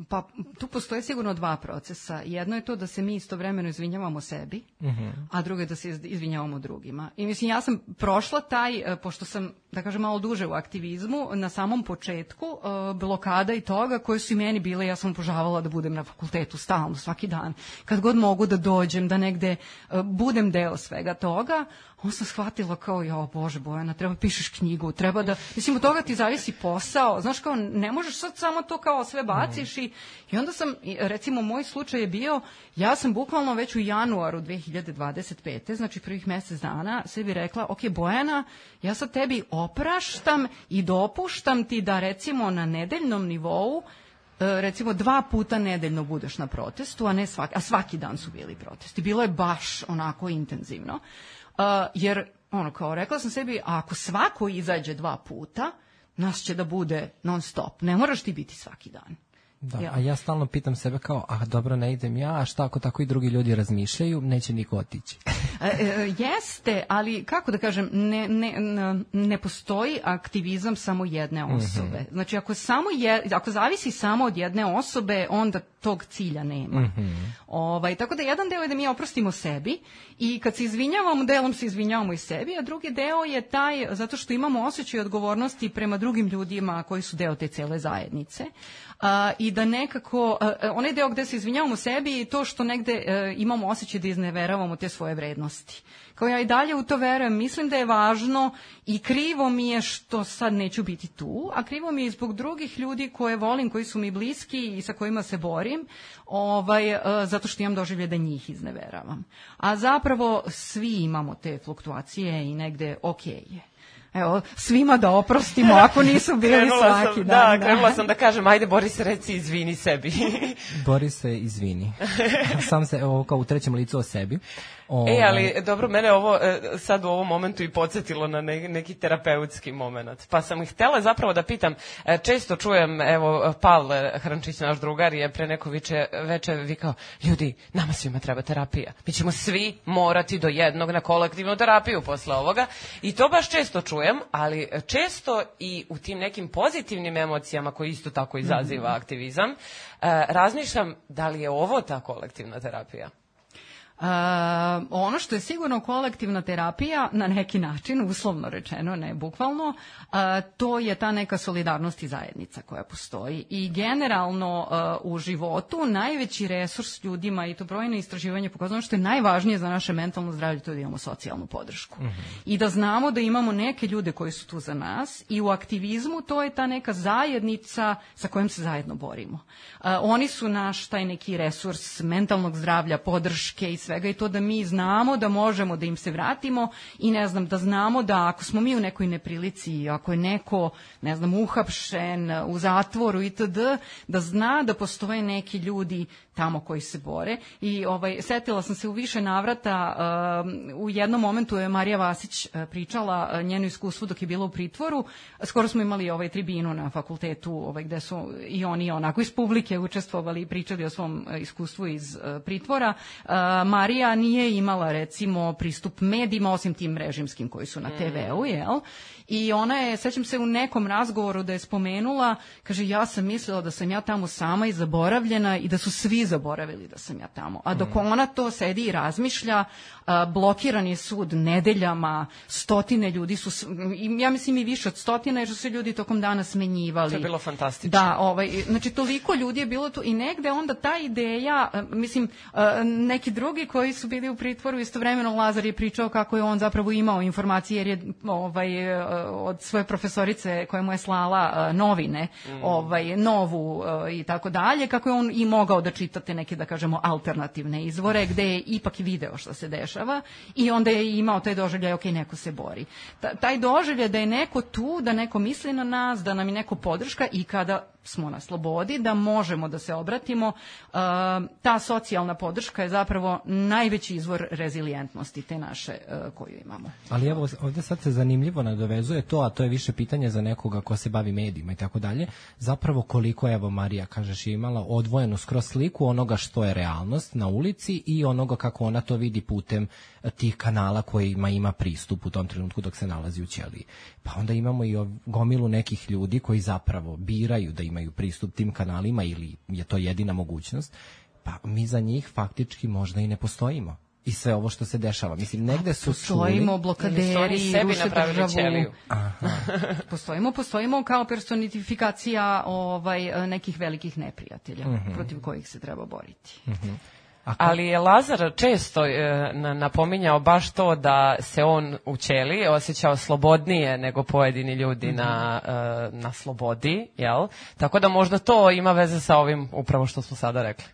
Pa tu postoje sigurno dva procesa. Jedno je to da se mi istovremeno izvinjavamo sebi, a drugo je da se izvinjavamo drugima. I mislim, ja sam prošla taj, pošto sam, da kažem, malo duže u aktivizmu, na samom početku blokada i toga koje su i meni bile, ja sam požavala da budem na fakultetu stalno, svaki dan. Kad god mogu da dođem, da negde budem deo svega toga, on sam shvatila kao, jo Bože Bojana, treba pišeš knjigu, treba da, mislim, od toga ti zavisi posao, znaš kao, ne možeš sad samo to kao sve baciš i onda sam, recimo, moj slučaj je bio, ja sam bukvalno već u januaru 2025. znači prvih mjesec dana, sebi rekla, ok, Bojana, ja sad tebi opraštam i dopuštam ti da recimo na nedeljnom nivou recimo 2 puta nedeljno budeš na protestu, a svaki dan su bili protesti. Bilo je baš onako intenzivno. Jer, kao rekla sam sebi, ako svako izađe 2 puta, nas će da bude non stop. Ne moraš ti biti svaki dan. Da, a ja stalno pitam sebe kao, dobro, ne idem ja, a šta ako tako i drugi ljudi razmišljaju, neće niko otići. Jeste, ali kako da kažem, ne postoji aktivizam samo jedne osobe. Znači, ako zavisi samo od jedne osobe, onda tog cilja nema. Tako da jedan deo je da mi oprostimo sebi i kad se izvinjavamo, delom se izvinjavamo i sebi, a drugi deo je taj, zato što imamo osjećaj odgovornosti prema drugim ljudima koji su deo te cele zajednice. I da nekako, onaj deo gde se izvinjavamo sebi i to što negde imamo osjećaj da izneveravamo te svoje vrednosti. Kao ja i dalje u to verujem, mislim da je važno i krivo mi je što sad neću biti tu, a krivo mi je zbog drugih ljudi koje volim, koji su mi bliski i sa kojima se borim, zato što imam doživlje da njih izneveravam. A zapravo svi imamo te fluktuacije i negde okej je. Evo, svima da oprostimo ako nisu bili svaki dan. Da, krenula sam da kažem, ajde Boris, reci izvini sebi. Borise, izvini. Sam se, kao u trećem licu o sebi. Ali dobro, mene ovo sad u ovom momentu i podsjetilo na neki terapeutski moment. Pa sam ih htjela zapravo da pitam, često čujem, evo, Pavle Hrančić, naš drugar, je pre neko veče vikao, ljudi, nama svima treba terapija. Mi ćemo svi morati do jednog na kolektivnu terapiju posle ovoga. I to baš često čujem, ali često i u tim nekim pozitivnim emocijama koji isto tako izaziva aktivizam, razmišljam da li je ovo ta kolektivna terapija. Ono što je sigurno kolektivna terapija, na neki način, uslovno rečeno, ne bukvalno, to je ta neka solidarnost i zajednica koja postoji. I generalno u životu najveći resurs ljudima, i to brojne istraživanje pokazuje, što je najvažnije za naše mentalno zdravlje, to je da imamo socijalnu podršku. I da znamo da imamo neke ljude koji su tu za nas, i u aktivizmu to je ta neka zajednica sa kojom se zajedno borimo. Oni su naš taj neki resurs mentalnog zdravlja, podrške i svega, i to da mi znamo da možemo da im se vratimo i ne znam, da znamo da ako smo mi u nekoj neprilici, ako je neko, ne znam, uhapšen, u zatvoru itd., da zna da postoje neki ljudi tamo koji se bore. I setila sam se u više navrata, u jednom momentu je Marija Vasić pričala njeno iskustvo dok je bila u pritvoru. Skoro smo imali tribinu na fakultetu gde su i oni onako iz publike učestvovali i pričali o svom iskustvu iz pritvora. Marija nije imala, recimo, pristup medijima, osim tim režimskim koji su na TV-u, jel? I ona je, sećam se u nekom razgovoru da je spomenula, kaže, ja sam mislila da sam ja tamo sama i zaboravljena i da su svi zaboravili da sam ja tamo. A dok ona to sedi i razmišlja, blokiran je sud nedeljama, stotine ljudi su, ja mislim i više od stotina, jer su se ljudi tokom dana smenjivali. To je bilo fantastično. Da, znači toliko ljudi je bilo tu i negde onda ta ideja, mislim, neki drugi koji su bili u pritvoru, istovremeno Lazar je pričao kako je on zapravo imao informacije, jer je od svoje profesorice koja mu je slala novine, Novu i tako dalje, kako je on i mogao da čitate neke, da kažemo, alternativne izvore, gde je ipak video što se dešava i onda je imao taj doživljaj, ok, neko se bori. Taj doživljaj da je neko tu, da neko misli na nas, da nam je neko podrška i kada smo na slobodi, da možemo da se obratimo, ta socijalna podrška je zapravo najveći izvor rezilijentnosti te naše koju imamo. Ali evo, ovdje sad se zanimljivo nadovezuje to, a to je više pitanje za nekoga ko se bavi medijima i tako dalje, zapravo koliko, evo Marija, kažeš, je imala odvojenu skroz sliku onoga što je realnost na ulici i onoga kako ona to vidi putem tih kanala kojima ima pristup u tom trenutku dok se nalazi u ćeliji. Pa onda imamo i gomilu nekih ljudi koji zapravo biraju da imaju pristup tim kanalima ili je to jedina mogućnost, pa mi za njih faktički možda i ne postojimo. I sve ovo što se dešava. Mislim, negde su postojimo blokaderi, ruše državu. Postojimo kao personifikacija nekih velikih neprijatelja protiv kojih se treba boriti. Ali je Lazar često napominjao baš to da se on u ćeliji osjećao slobodnije nego pojedini ljudi na slobodi, jel? Tako da možda to ima veze sa ovim upravo što smo sada rekli.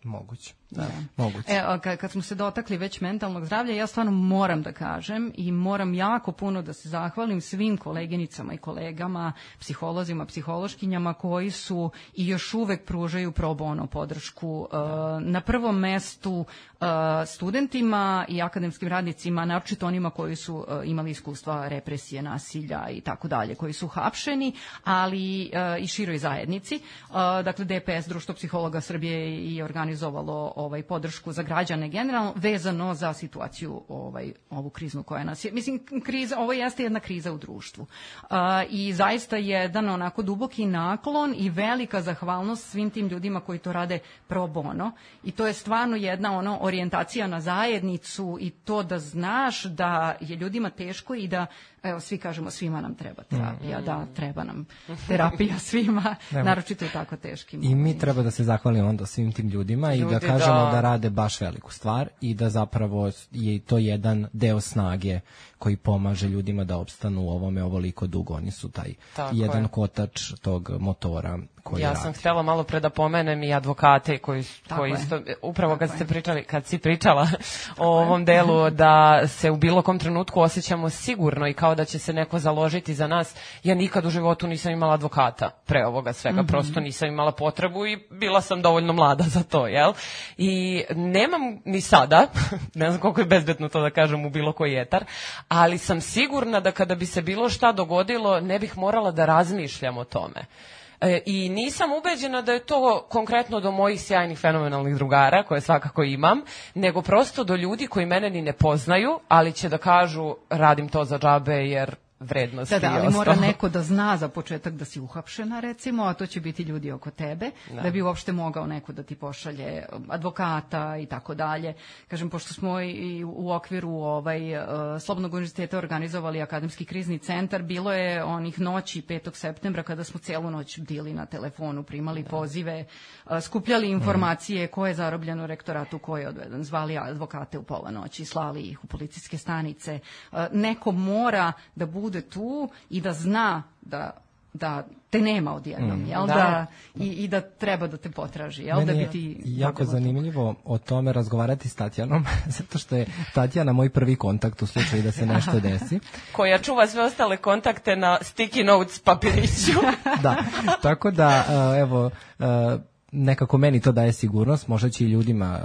Moguće. Da. Moguće. Kad smo se dotakli već mentalnog zdravlja, ja stvarno moram da kažem i moram jako puno da se zahvalim svim koleginicama i kolegama, psiholozima, psihološkinjama koji su i još uvek pružaju pro bono podršku. Na prvom mestu studentima i akademskim radnicima, naročito onima koji su imali iskustva represije, nasilja i tako dalje, koji su hapšeni, ali i široj zajednici. Dakle, DPS, Društvo psihologa Srbije, i organizovalo podršku za građane generalno, vezano za situaciju ovu kriznu koja nas je. Mislim, ovo jeste jedna kriza u društvu. I zaista jedan onako duboki naklon i velika zahvalnost svim tim ljudima koji to rade pro bono. I to je stvarno jedna orijentacija na zajednicu i to da znaš da je ljudima teško i da, evo, svi kažemo, svima nam treba terapija. Da, treba nam terapija svima, naročito u tako teškim. I mi treba da se zahvalimo onda svim tim ljudima i da kažemo možemo da rade baš veliku stvar i da zapravo je to jedan deo snage koji pomaže ljudima da opstanu u ovome ovoliko dugo. Oni su taj jedan kotač tog motora koji radi. Ja sam htjela malo pre da pomenem i advokate koji isto, upravo kad si pričala o ovom delu da se u bilo kom trenutku osjećamo sigurno i kao da će se neko založiti za nas. Ja nikad u životu nisam imala advokata pre ovoga svega, prosto nisam imala potrebu i bila sam dovoljno mlada za to, jel? I nemam ni sada, ne znam koliko je bezbedno to da kažem u bilo koji etar, ali sam sigurna da kada bi se bilo šta dogodilo ne bih morala da razmišljam o tome. I nisam ubeđena da je to konkretno do mojih sjajnih fenomenalnih drugara, koje svakako imam, nego prosto do ljudi koji mene ni ne poznaju, ali će da kažu radim to za džabe jer vrednosti. Da, ali mora neko da zna za početak da si uhapšena, recimo, a to će biti ljudi oko tebe, da bi uopšte mogao neko da ti pošalje advokata i tako dalje. Kažem, pošto smo i u okviru Slobodnog univerziteta organizovali akademski krizni centar, bilo je onih noći 5. septembra kada smo celu noć bdili na telefonu, primali pozive, skupljali informacije ko je zarobljen u rektoratu, ko je odveden, zvali advokate u pola noći, slali ih u policijske stanice. Neko mora da bude tu i da zna da te nema odjednom, jel? I da treba da te potraži, jel? Meni da je bi ti jako zanimljivo o tome razgovarati s Tatjanom, zato što je Tatjana moj prvi kontakt u slučaju da se nešto desi. Koja čuva sve ostale kontakte na sticky notes papiriću. Da, tako da, evo, nekako meni to daje sigurnost, možda će i ljudima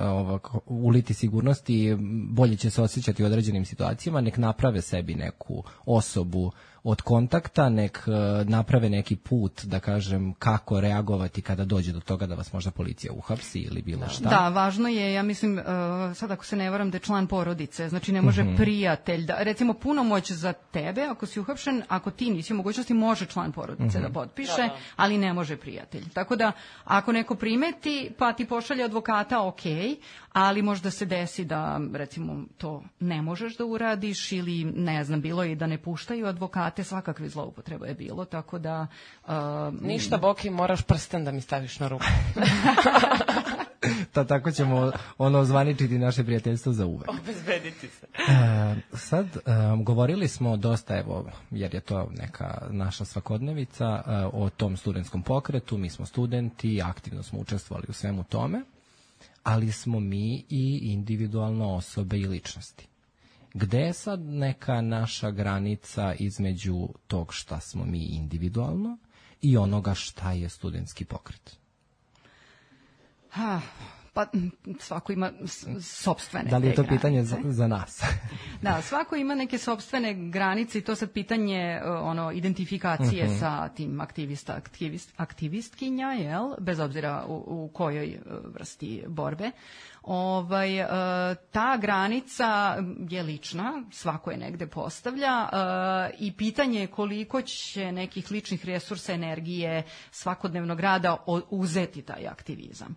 uliti sigurnost i bolje će se osjećati u određenim situacijama, nek naprave sebi neku osobu od kontakta, nek naprave neki put, da kažem, kako reagovati kada dođe do toga da vas možda policija uhapsi ili bilo šta. Da, važno je, ja mislim, sad ako se ne varam, da je član porodice, znači ne može prijatelj, da, recimo punomoć za tebe, ako si uhapšen, ako ti nisi u mogućnosti, može član porodice da potpiše, ali ne može prijatelj. Tako da, ako neko primeti, pa ti pošalje advokata, ok, ali možda se desi da, recimo, to ne možeš da uradiš ili, ne znam, bilo je i da ne puštaju advokate, svakakve zloupotrebe je bilo, tako da... Ništa, Boki, moraš prsten da mi staviš na ruku. Tako ćemo zvaničiti naše prijateljstvo za uvek. Obezbediti se. Sad, govorili smo dosta, evo, jer je to neka naša svakodnevica, o tom studentskom pokretu, mi smo studenti, aktivno smo učestvovali u svemu tome, ali smo mi i individualno osobe i ličnosti. Gde je sad neka naša granica između tog šta smo mi individualno i onoga šta je studentski pokret? Pa svako ima sopstvene. Da li je to pitanje za nas? Da, svako ima neke sopstvene granice i to sad pitanje identifikacije sa tim aktivistkinja, jel? Bez obzira u kojoj vrsti borbe. Ta granica je lična, svako je negde postavlja i pitanje je koliko će nekih ličnih resursa, energije, svakodnevnog rada uzeti taj aktivizam.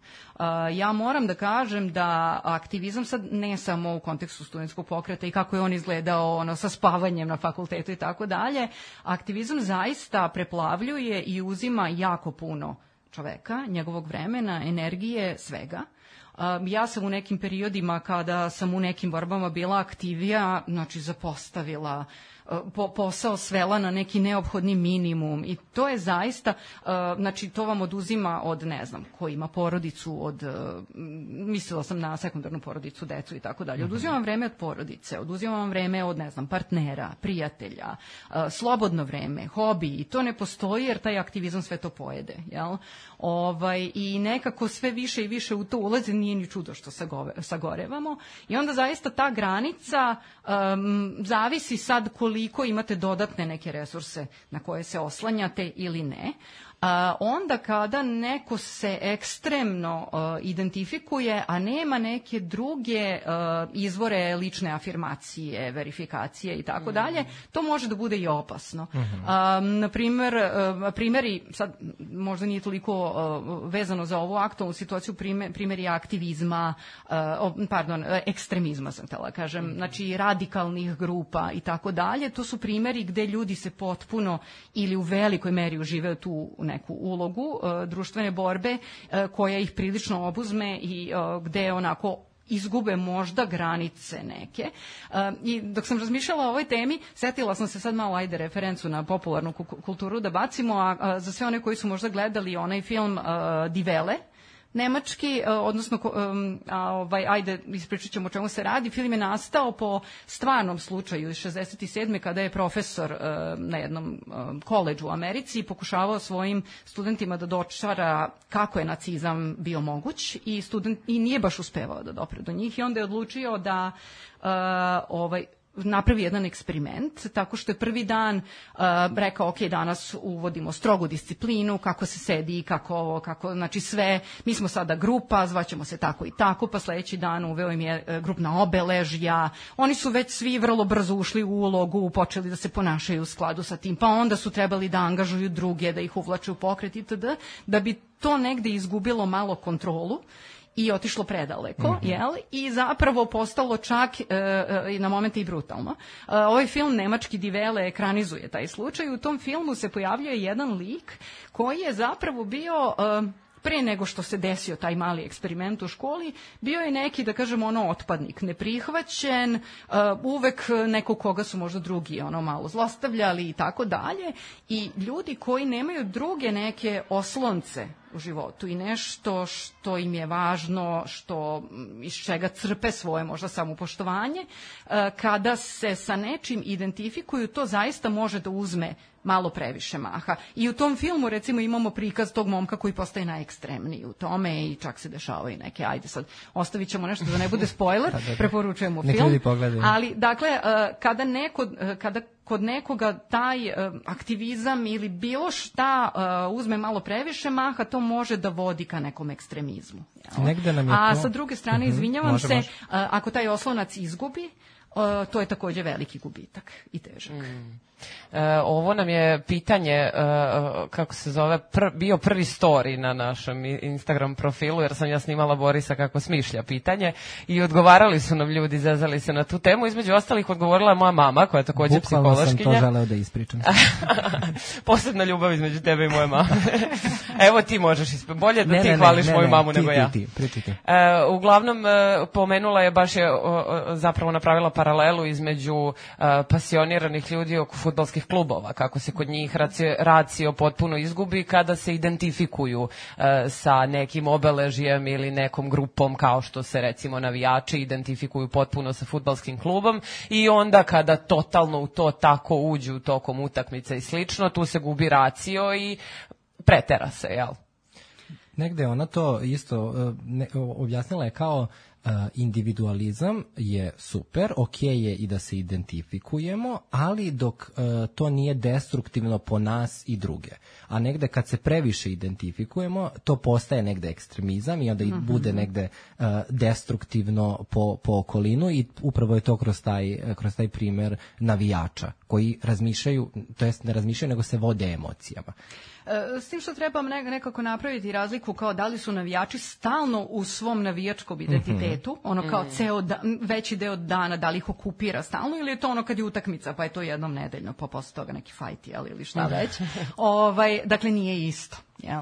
Ja moram da kažem da aktivizam sad ne samo u kontekstu studentskog pokreta i kako je on izgledao sa spavanjem na fakultetu i tako dalje, aktivizam zaista preplavljuje i uzima jako puno čoveka, njegovog vremena, energije, svega. Ja sam u nekim periodima kada sam u nekim borbama bila aktivija, znači zapostavila posao, svela na neki neophodni minimum i to je zaista, znači to vam oduzima od, ne znam, ko ima porodicu, mislila sam na sekundarnu porodicu, decu i tako dalje, oduzima vam vreme od porodice, oduzima vam vreme od, ne znam, partnera, prijatelja, slobodno vreme, hobi i to ne postoji jer taj aktivizam sve to pojede, jel? I nekako sve više i više u to ulazi, nije ni čudo što sagorevamo i onda zaista ta granica zavisi sad koliko imate dodatne neke resurse na koje se oslanjate ili ne. Onda kada neko se ekstremno identifikuje, a nema neke druge izvore lične afirmacije, verifikacije i tako dalje, to može da bude i opasno. Na primjeri, sad možda nije toliko vezano za ovu aktualnu situaciju, primjeri aktivizma, ekstremizma sam htjela kažem, znači radikalnih grupa i tako dalje, to su primjeri gde ljudi se potpuno ili u velikoj meri uživaju tu neku ulogu društvene borbe koja ih prilično obuzme i gde onako izgube možda granice neke. I dok sam razmišljala o ovoj temi, setila sam se sad malo, referencu na popularnu kulturu da bacimo, a za sve one koji su možda gledali onaj film Die Welle, nemački, odnosno, ispričat ćemo o čemu se radi. Film je nastao po stvarnom slučaju iz 67. kada je profesor na jednom koledžu u Americi pokušavao svojim studentima da dočara kako je nacizam bio moguć i nije baš uspevao da dopre do njih i onda je odlučio da napravi jedan eksperiment, tako što je prvi dan rekao, ok, danas uvodimo strogu disciplinu, kako se sedi, kako, znači sve, mi smo sada grupa, zvaćemo se tako i tako, pa sledeći dan uveo im je grupna obeležja, oni su već svi vrlo brzo ušli u ulogu, počeli da se ponašaju u skladu sa tim, pa onda su trebali da angažuju druge, da ih uvlače u pokret itd., da bi to negde izgubilo malo kontrolu i otišlo predaleko, jel? I zapravo postalo čak na momente i brutalno. Ovaj film nemački Die Welle ekranizuje taj slučaj. U tom filmu se pojavljuje jedan lik koji je zapravo bio pre nego što se desio taj mali eksperiment u školi, bio je neki, da kažem, otpadnik, neprihvaćen, uvek neko koga su možda drugi malo zlostavljali i tako dalje. I ljudi koji nemaju druge neke oslonce u životu i nešto što im je važno, iz čega crpe svoje možda samopoštovanje, kada se sa nečim identifikuju, to zaista može da uzme malo previše maha. I u tom filmu, recimo, imamo prikaz tog momka koji postaje najekstremniji u tome i čak se dešavaju neke, sad, ostavit ćemo nešto da ne bude spoiler, preporučujemo film. Ali, dakle, kada kod nekoga taj aktivizam ili bilo šta uzme malo previše maha, to može da vodi ka nekom ekstremizmu. A sa druge strane, izvinjavam se, ako taj oslonac izgubi, to je takođe veliki gubitak i težak. Ovo nam je pitanje, kako se zove, bio prvi story na našem Instagram profilu, jer sam ja snimala Borisa kako smišlja pitanje i odgovarali su nam ljudi, zezali se na tu temu. Između ostalih odgovorila je moja mama, koja je takođe psihološkinja. Bukvalno sam to želeo da ispričam. Posebna ljubav između tebe i moje mame. Evo ti možeš, bolje da ti hvališ moju mamu nego ja. Pričajte. Uglavnom, pomenula je, baš je zapravo napravila paralelu između pasioniranih ljudi oko fudbalskih klubova, kako se kod njih racio potpuno izgubi kada se identifikuju sa nekim obeležjem ili nekom grupom, kao što se recimo navijači identifikuju potpuno sa fudbalskim klubom, i onda kada totalno u to tako uđu tokom utakmice i slično, tu se gubi racio i pretera se, jel? Negde ona to isto objasnila je kao individualizam je super, ok je i da se identifikujemo, ali dok to nije destruktivno po nas i druge. A negde kad se previše identifikujemo, to postaje negde ekstremizam i onda bude negde destruktivno po okolinu, i upravo je to kroz taj primer navijača koji razmišljaju, to jest ne razmišljaju, nego se vode emocijama. S tim što trebam nekako napraviti razliku kao da li su navijači stalno u svom navijačkom identitetu, kao veći deo dana, da li ih okupira stalno, ili je to kad je utakmica, pa je to jednom nedeljno, pa posle toga neki fajt, ili šta već. Dakle, nije isto, jel?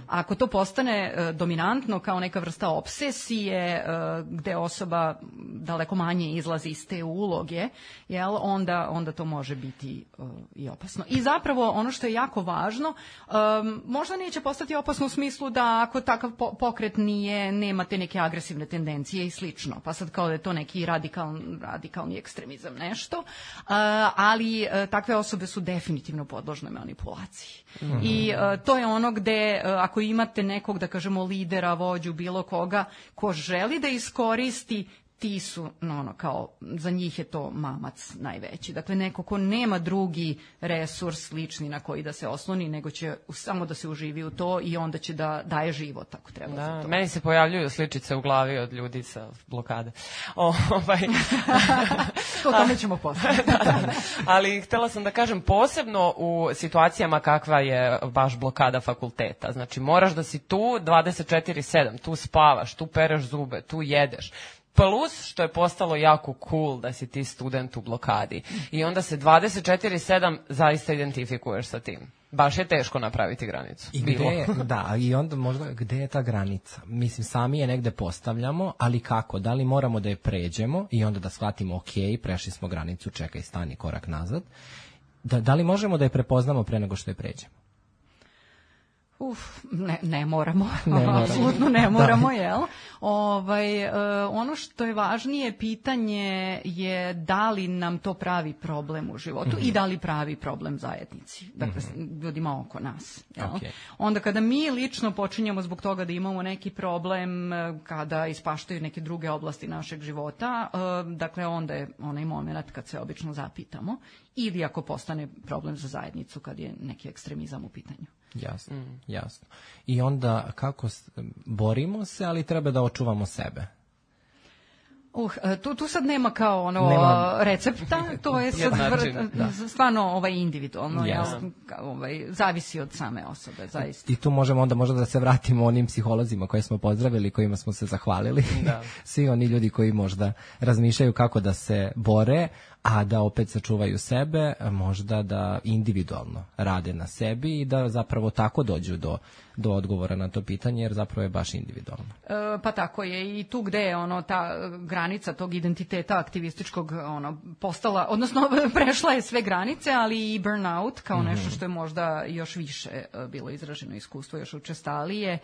Ako to postane dominantno kao neka vrsta obsesije gde osoba daleko manje izlazi iz te uloge, jel, onda to može biti i opasno. I zapravo ono što je jako važno, možda neće postati opasno u smislu da ako takav pokret nema te neke agresivne tendencije i slično, pa sad kao da je to neki radikalni ekstremizam nešto, ali takve osobe su definitivno podložne manipulaciji. I to je ono gde ako imate nekog, da kažemo, lidera, vođu, bilo koga, ko želi da iskoristi, ti su, kao, za njih je to mamac najveći. Dakle, neko ko nema drugi resurs lični na koji da se osloni, nego će samo da se uživi u to i onda će da daje život, ako treba za to. Meni se pojavljuju sličice u glavi od ljudi sa blokade. O tome ćemo posle. Ali htela sam da kažem, posebno u situacijama kakva je baš blokada fakulteta. Znači, moraš da si tu 24/7, tu spavaš, tu pereš zube, tu jedeš. Plus što je postalo jako cool da si ti student u blokadi. I onda se 24/7 zaista identifikuješ sa tim. Baš je teško napraviti granicu. I i onda možda gde je ta granica? Mislim, sami je negde postavljamo, ali kako? Da li moramo da je pređemo i onda da shvatimo, ok, prešli smo granicu, čekaj, stani korak nazad. Da li možemo da je prepoznamo pre nego što je pređemo? Ne moramo, apsolutno ne moramo, jel? Ono što je važnije pitanje je da li nam to pravi problem u životu i da li pravi problem zajednici, dakle ljudima oko nas. Jel? Okay. Onda kada mi lično počinjemo zbog toga da imamo neki problem, kada ispaštaju neke druge oblasti našeg života, dakle onda je onaj moment kad se obično zapitamo, ili ako postane problem za zajednicu kad je neki ekstremizam u pitanju. Jasno. I onda kako borimo se, ali treba da očuvamo sebe. Tu sad nema kao recepta, to je sad stvarno individualno, zavisi od same osobe, zaista. I tu možemo onda možda da se vratimo onim psiholozima koje smo pozdravili, kojima smo se zahvalili. Da. Svi oni ljudi koji možda razmišljaju kako da se bore, a da opet sačuvaju sebe, možda da individualno rade na sebi i da zapravo tako dođu do odgovora na to pitanje, jer zapravo je baš individualno. Pa tako je, i tu gde je ta granica tog identiteta aktivističkog postala, odnosno prešla je sve granice, ali i burnout kao nešto što je možda još više bilo izraženo iskustvo, još učestalije,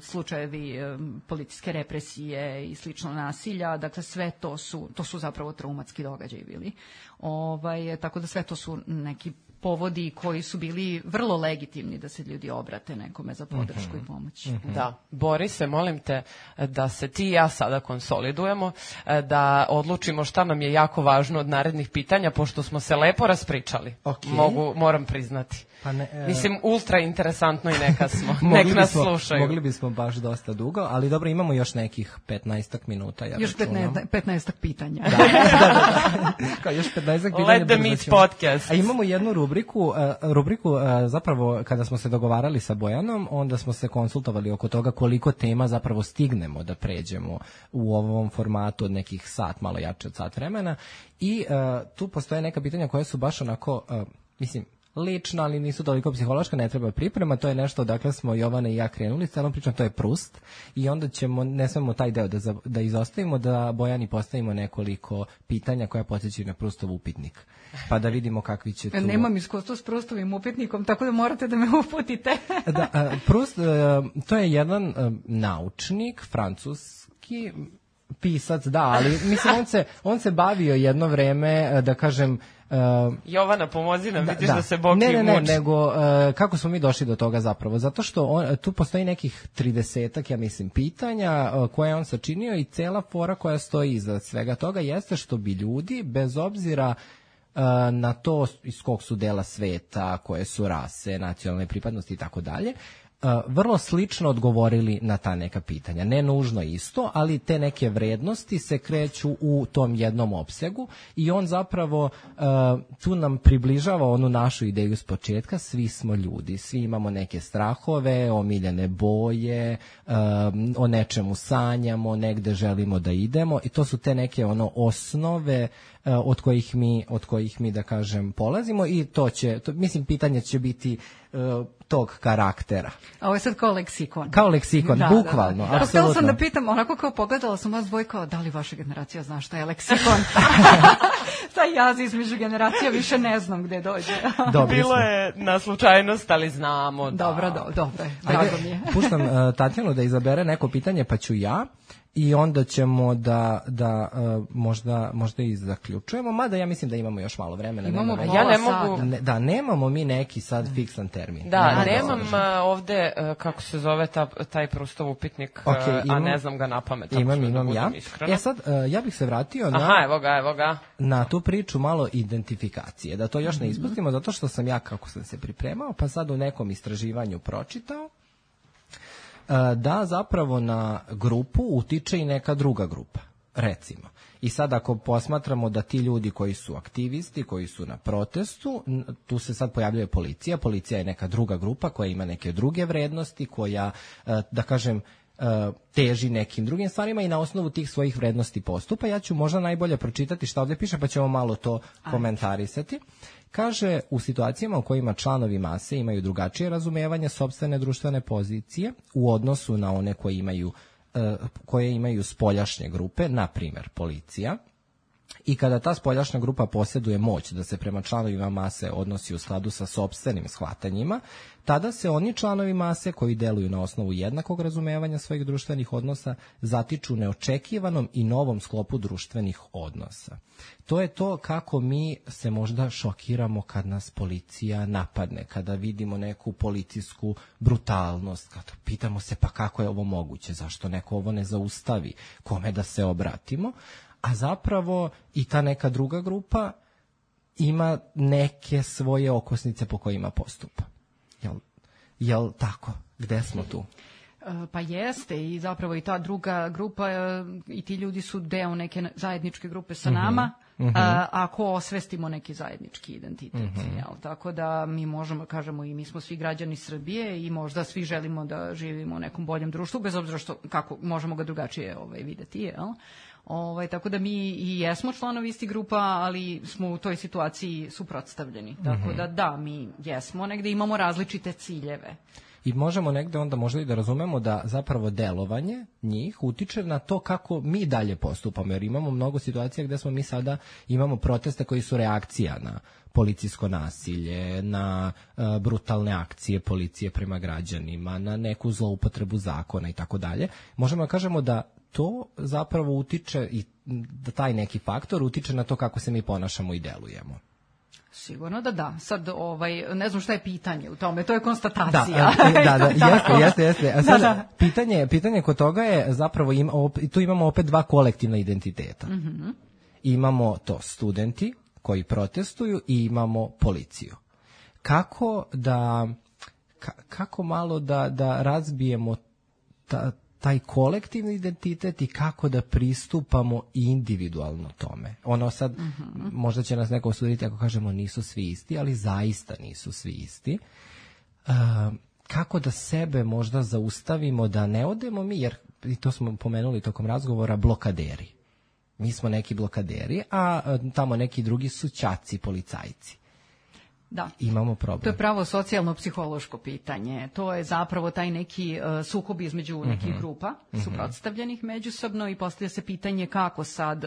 slučajevi policijske represije i slično nasilja, dakle sve to su zapravo traumatski događaji bili. Tako da sve to su neki povodi koji su bili vrlo legitimni da se ljudi obrate nekome za podršku i pomoć. Da, Borise, molim te da se ti i ja sada konsolidujemo, da odlučimo šta nam je jako važno od narednih pitanja, pošto smo se lepo raspričali. Moram priznati. Mislim, ultra interesantno i nek nas slušaju. Mogli bismo baš dosta dugo, ali dobro, imamo još nekih 15 minuta. Još 15 pitanja. Da. Još 15 pitanja. Let the meet podcast. A imamo jednu rubriku, zapravo kada smo se dogovarali sa Bojanom, onda smo se konsultovali oko toga koliko tema zapravo stignemo da pređemo u ovom formatu od nekih sat, malo jače od sat vremena. I tu postoje neka pitanja koja su baš onako, lično, ali nisu toliko psihološka, ne treba priprema, to je nešto, dakle smo Jovana i ja krenuli, celom pričom, to je Prust, i onda ne smemo taj deo da izostavimo, da Bojani postavimo nekoliko pitanja koja podsjećaju na Prustov upitnik, pa da vidimo kakvi će tu... Nemam iskustvo s Prustovim upitnikom, tako da morate da me uputite. Prust, to je jedan naučnik, francuski pisac, da, ali mislim, on se bavio jedno vreme, da kažem... Jovana, pomozi nam, vidiš da se Boki muči. Ne, nego kako smo mi došli do toga zapravo? Zato što tu postoji nekih 30-ak, ja mislim, pitanja koje je on sačinio i cela fora koja stoji iza svega toga jeste što bi ljudi, bez obzira na to iz kog su dela sveta, koje su rase, nacionalne pripadnosti i tako dalje, vrlo slično odgovorili na ta neka pitanja. Ne nužno isto, ali te neke vrednosti se kreću u tom jednom opsegu i on zapravo tu nam približava onu našu ideju s početka. Svi smo ljudi, svi imamo neke strahove, omiljene boje, o nečemu sanjamo, negde želimo da idemo i to su te neke osnove od kojih mi da kažem polazimo i mislim pitanje će biti tog karaktera. A ovo je sad kao leksikon. Kao leksikon, bukvalno. Da. Htjela sam da pitam, onako kao pogledala sam vas dvoje kao da li vaša generacija zna šta je leksikon? Taj jaz između generacija više ne znam gde dođe. Bilo je na slučajnost, ali znamo. Dobro, drago mi je. Puštam Tatjanu da izabere neko pitanje, pa ću ja. I onda ćemo da možda i zaključujemo, mada ja mislim da imamo još malo vremena. Ja ne mogu... Da, nemamo mi neki sad fiksan termin. Da, nemam ovde, kako se zove taj Prustov upitnik, a ne znam ga napamet. Imam ja. Sad, ja bih se vratio evo ga. Na tu priču malo identifikacije, da to još ne ispustimo, zato što sam ja, kako sam se pripremao, pa sad u nekom istraživanju pročitao, da zapravo na grupu utiče i neka druga grupa, recimo. I sad ako posmatramo da ti ljudi koji su aktivisti, koji su na protestu, tu se sad pojavljuje policija je neka druga grupa koja ima neke druge vrednosti, koja, da kažem, teži nekim drugim stvarima i na osnovu tih svojih vrednosti postupa. Ja ću možda najbolje pročitati šta ovdje piše, pa ćemo malo to komentarisati. Kaže, u situacijama u kojima članovi mase imaju drugačije razumevanje sopstvene društvene pozicije u odnosu na one koje imaju spoljašnje grupe, na primjer policija, i kada ta spoljašnja grupa posjeduje moć da se prema članovima mase odnosi u skladu sa sopstvenim shvatanjima, tada se oni članovi mase koji deluju na osnovu jednakog razumevanja svojih društvenih odnosa zatiču neočekivanom i novom sklopu društvenih odnosa. To je to kako mi se možda šokiramo kad nas policija napadne, kada vidimo neku policijsku brutalnost, kada pitamo se pa kako je ovo moguće, zašto neko ovo ne zaustavi, kome da se obratimo. A zapravo i ta neka druga grupa ima neke svoje okosnice po kojima postupa. Jel tako? Gde smo tu? Pa jeste, i zapravo i ta druga grupa i ti ljudi su deo neke zajedničke grupe sa nama, ako osvestimo neki zajednički identitet. Tako da mi možemo kažemo i mi smo svi građani Srbije i možda svi želimo da živimo u nekom boljem društvu, bez obzira kako možemo ga drugačije videti, jel? Tako da mi i jesmo članovi istih grupa, ali smo u toj situaciji suprotstavljeni. Tako da, mi jesmo, negde imamo različite ciljeve. I možemo negde onda možda i da razumemo da zapravo delovanje njih utiče na to kako mi dalje postupamo, jer imamo mnogo situacija gde smo mi sada imamo proteste koji su reakcija na policijsko nasilje, na brutalne akcije policije prema građanima, na neku zloupotrebu zakona i tako dalje. Možemo da kažemo da to zapravo utiče i da taj neki faktor utiče na to kako se mi ponašamo i delujemo. Sigurno da. Sad, ne znam šta je pitanje u tome, to je konstatacija. Jeste. A sad, pitanje kod toga je zapravo, tu imamo opet dva kolektivna identiteta. Imamo to studenti koji protestuju i imamo policiju. Kako malo da razbijemo taj kolektivni identitet i kako da pristupamo individualno tome. Ono sad, možda će nas neko osuditi ako kažemo nisu svi isti, ali zaista nisu svi isti. Kako da sebe možda zaustavimo da ne odemo mi, jer i to smo pomenuli tokom razgovora, blokaderi. Mi smo neki blokaderi, a tamo neki drugi su ćaci, policajci. Da. Imamo problem. To je pravo socijalno-psihološko pitanje. To je zapravo taj neki sukob između nekih grupa, suprotstavljenih međusobno, i postavlja se pitanje kako sad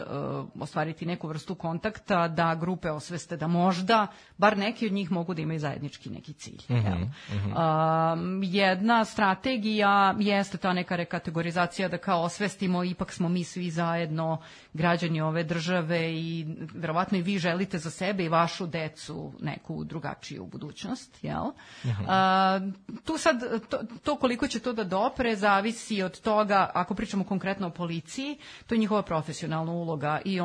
ostvariti neku vrstu kontakta da grupe osveste da možda, bar neki od njih mogu da imaju zajednički neki cilj. Jedna strategija jeste ta neka rekategorizacija da kao osvestimo, ipak smo mi svi zajedno građani ove države i verovatno i vi želite za sebe i vašu decu neku drugačiju budućnost, jel? Tu sad, to koliko će to da dopre zavisi od toga, ako pričamo konkretno o policiji, to je njihova profesionalna uloga i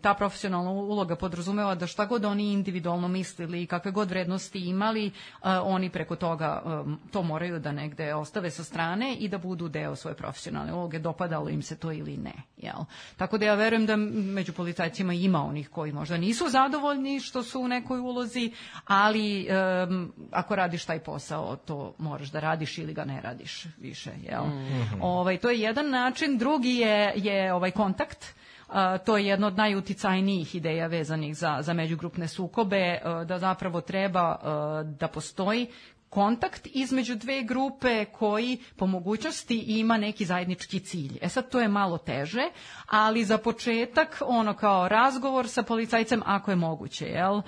ta profesionalna uloga podrazumeva da šta god oni individualno mislili i kakve god vrednosti imali, oni preko toga to moraju da negde ostave sa strane i da budu deo svoje profesionalne uloge, dopadalo im se to ili ne, jel? Tako da ja verujem da među policajcima ima onih koji možda nisu zadovoljni što su u nekoj ulozi, ali ako radiš taj posao, to moraš da radiš ili ga ne radiš više, jel? To je jedan način. Drugi je kontakt. To je jedna od najuticajnijih ideja vezanih za međugrupne sukobe, da zapravo treba da postoji kontakt između dve grupe koji po mogućnosti ima neki zajednički cilj. Sad to je malo teže, ali za početak kao razgovor sa policajcem ako je moguće, jel?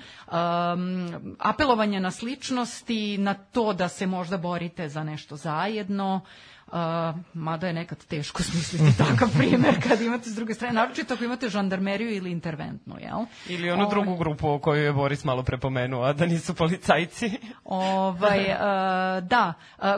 Apelovanje na sličnosti, na to da se možda borite za nešto zajedno, mada je nekad teško smisliti takav primjer kad imate s druge strane, naročito ako imate žandarmeriju ili interventnu, jel? Ili onu drugu grupu o kojoj je Boris malo prepomenuo, a da nisu policajci. Da,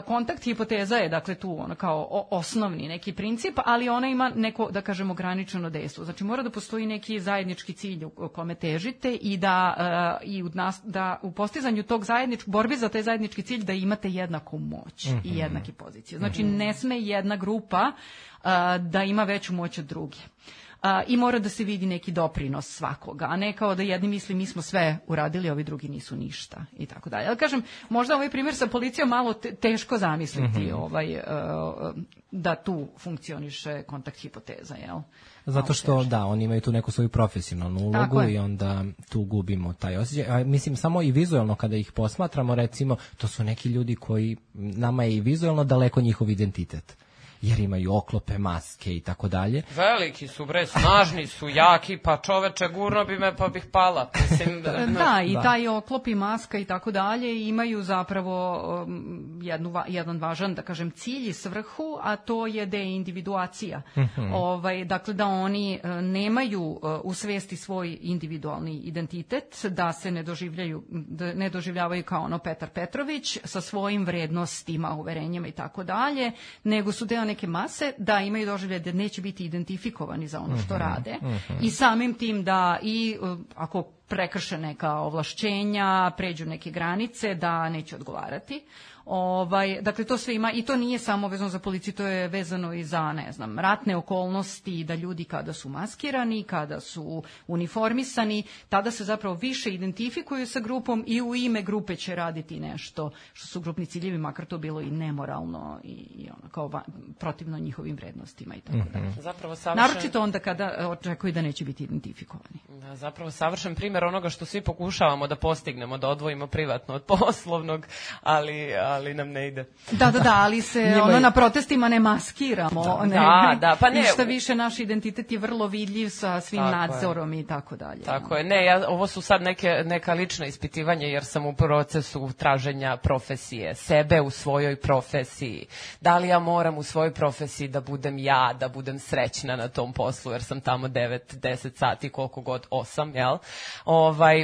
kontakt hipoteza je dakle tu kao osnovni neki princip, ali ona ima neko, da kažemo, ograničeno dejstvo. Znači mora da postoji neki zajednički cilj u kome težite i da u postizanju tog borbi za taj zajednički cilj da imate jednaku moć i jednake pozicije. Znači ne sme jedna grupa da ima veću moć od druge. i mora da se vidi neki doprinos svakoga, a ne kao da jedni misli mi smo sve uradili, ovi drugi nisu ništa i tako dalje. Ali kažem, možda ovaj primjer sa policijom malo teško zamisliti da tu funkcioniše kontakt hipoteza, jel? Zato što, da, oni imaju tu neku svoju profesionalnu ulogu i onda tu gubimo taj osjećaj. Mislim, samo i vizualno kada ih posmatramo, recimo, to su neki ljudi koji, nama je i vizualno daleko njihov identitet. Jer imaju oklope, maske i tako dalje. Veliki su, bre, snažni su, jaki, pa čoveče, gurno bi me pa bih pala. Mislim, i taj oklop i maska i tako dalje imaju zapravo jedan važan, da kažem, cilj i svrhu, a to je deindividuacija. Dakle, da oni nemaju u svesti svoj individualni identitet, da se ne doživljavaju kao ono Petar Petrović sa svojim vrednostima, uverenjima i tako dalje, nego su deo neke mase, da imaju doživljaj da neće biti identifikovani za ono što rade i samim tim da i ako prekrše neka ovlašćenja, pređu neke granice, da neće odgovarati. Dakle, to sve ima i to nije samo vezano za policiju, to je vezano i za, ne znam, ratne okolnosti, da ljudi kada su maskirani, kada su uniformisani, tada se zapravo više identifikuju sa grupom i u ime grupe će raditi nešto što su grupni ciljevi, makar to bilo i nemoralno i ono, kao protivno njihovim vrednostima i tako dalje. Zapravo naročito onda kada očekuju da neće biti identifikovani. Da, zapravo savršen primjer onoga što svi pokušavamo da postignemo, da odvojimo privatno od poslovnog, ali nam ne ide. Da, ali se na protestima ne maskiramo. Pa ne. Šta više, naš identitet je vrlo vidljiv sa svim nadzorom i tako dalje. Tako je. Ovo su sad neka lična ispitivanja jer sam u procesu traženja profesije, sebe u svojoj profesiji. Da li ja moram u svojoj profesiji da budem ja, da budem srećna na tom poslu jer sam tamo 9-10 sati, koliko god 8, jel?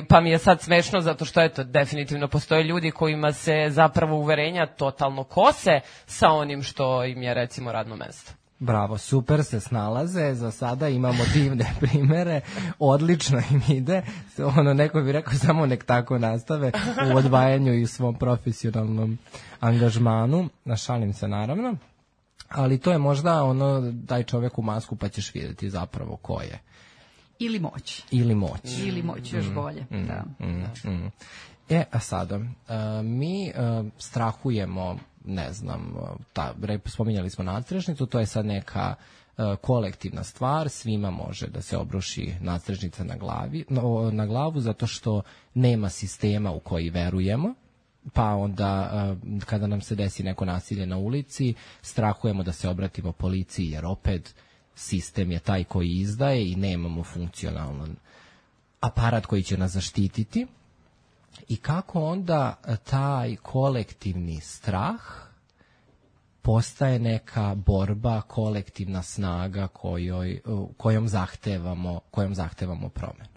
Pa mi je sad smešno zato što definitivno postoje ljudi kojima se zapravo uverenja totalno kose sa onim što im je recimo radno mesto. Bravo, super se snalaze, za sada imamo divne primere, odlično im ide, neko bi rekao samo nek tako nastave u odvajanju i u svom profesionalnom angažmanu, šalim se naravno, ali to je možda daj čovjeku masku pa ćeš vidjeti zapravo ko je. Ili moć. Ili moć. Ili moć, još bolje. A sada, mi strahujemo, ne znam, spominjali smo nadstrešnicu, to je sad neka kolektivna stvar, svima može da se obruši nadstrešnica na glavu zato što nema sistema u koji verujemo, pa onda kada nam se desi neko nasilje na ulici, strahujemo da se obratimo policiji jer opet sistem je taj koji izdaje i nemamo funkcionalan aparat koji će nas zaštititi. I kako onda taj kolektivni strah postaje neka borba, kolektivna snaga kojom zahtevamo promenu?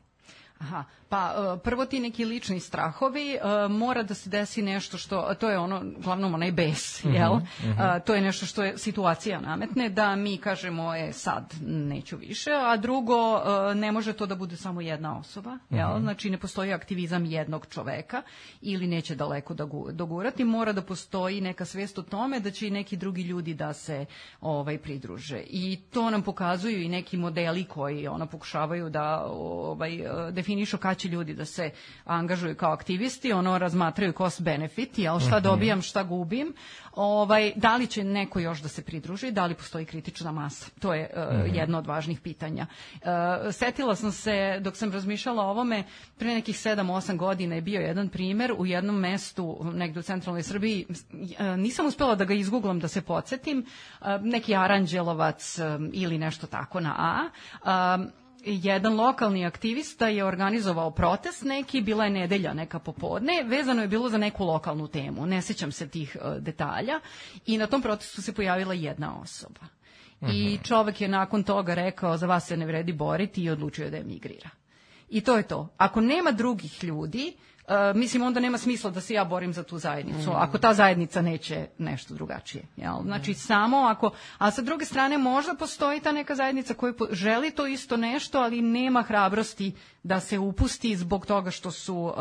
Aha, pa prvo ti neki lični strahovi, mora da se desi nešto što, to je glavnom onaj bes, jel? To je nešto što je situacija nametne, da mi kažemo, sad neću više, a drugo, ne može to da bude samo jedna osoba, jel? Znači ne postoji aktivizam jednog čoveka ili neće daleko dogurati, mora da postoji neka svest o tome da će i neki drugi ljudi da se pridruže. I to nam pokazuju i neki modeli koji pokušavaju da definišu kada će ljudi da se angažuju kao aktivisti, razmatraju cost benefit, jel, šta dobijam, šta gubim, da li će neko još da se pridruži, da li postoji kritična masa. To je jedno od važnih pitanja. Setila sam se, dok sam razmišljala o ovome, pre nekih 7-8 godina je bio jedan primer u jednom mestu, negde u centralnoj Srbiji, nisam uspela da ga izguglam da se podsjetim, neki Aranđelovac ili nešto tako na A. Jedan lokalni aktivista je organizovao protest neki, bila je nedelja neka popodne, vezano je bilo za neku lokalnu temu, ne sjećam se tih detalja, i na tom protestu se pojavila jedna osoba. I čovjek je nakon toga rekao, za vas se ne vredi boriti, i odlučio da emigrira. i to je to. Ako nema drugih ljudi, mislim, onda nema smisla da se ja borim za tu zajednicu, ako ta zajednica neće nešto drugačije. Jel? Znači, samo ako... A sa druge strane, možda postoji ta neka zajednica koja želi to isto nešto, ali nema hrabrosti da se upusti zbog toga što su,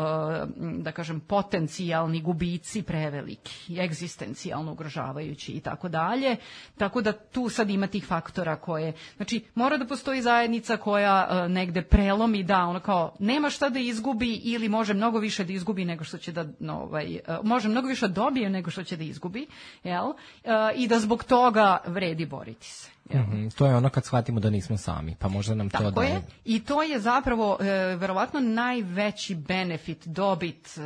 da kažem, potencijalni gubici preveliki, egzistencijalno ugrožavajući i tako dalje. Tako da tu sad ima tih faktora koje... Znači, mora da postoji zajednica koja negde prelomi, da, ono kao, nema šta da izgubi ili može mnogo više da izgubi nego što će da, može mnogo više da dobije nego što će da izgubi, jel? I da zbog toga vredi boriti se. To je ono kad shvatimo da nismo sami, pa možda nam to tako je. I to je zapravo verovatno najveći benefit, dobit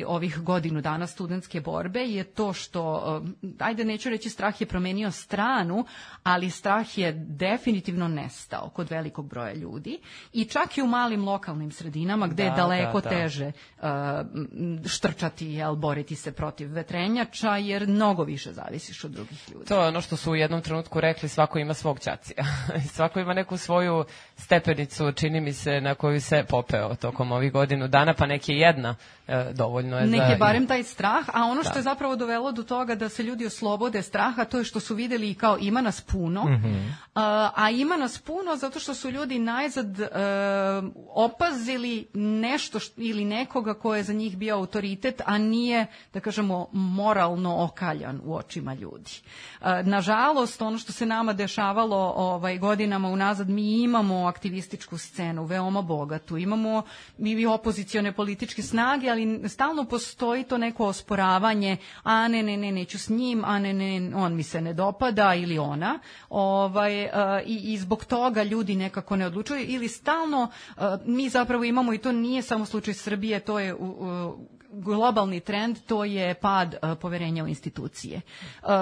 ovih godinu dana studentske borbe je to što, ajde neću reći strah je promenio stranu, ali strah je definitivno nestao kod velikog broja ljudi i čak i u malim lokalnim sredinama gde je daleko teže štrčati, jel, boriti se protiv vetrenjača, jer mnogo više zavisiš od drugih ljudi. To je ono što su u jednom trenutku rekli, svako ima svog ćacija. Svako ima neku svoju stepenicu, čini mi se, na koju se popeo tokom ovih godinu dana, pa nek je jedna, dovoljno je nek je barem taj strah, a ono što je zapravo dovelo do toga da se ljudi oslobode straha, to je što su videli kao ima nas puno, a ima nas puno zato što su ljudi najzad opazili nešto ili nekoga ko je za njih bio autoritet, a nije, da kažemo, moralno okaljan u očima ljudi. Nažalost, ono što se nama dešavalo godinama unazad, mi imamo aktivističku scenu, veoma bogatu, imamo i opozicione političke snage, ali stalno postoji to neko osporavanje, a ne, neću s njim, a ne, on mi se ne dopada ili ona, i zbog toga ljudi nekako ne odlučuju ili stalno mi zapravo imamo, i to nije samo slučaj Srbije, to je globalni trend, to je pad poverenja u institucije.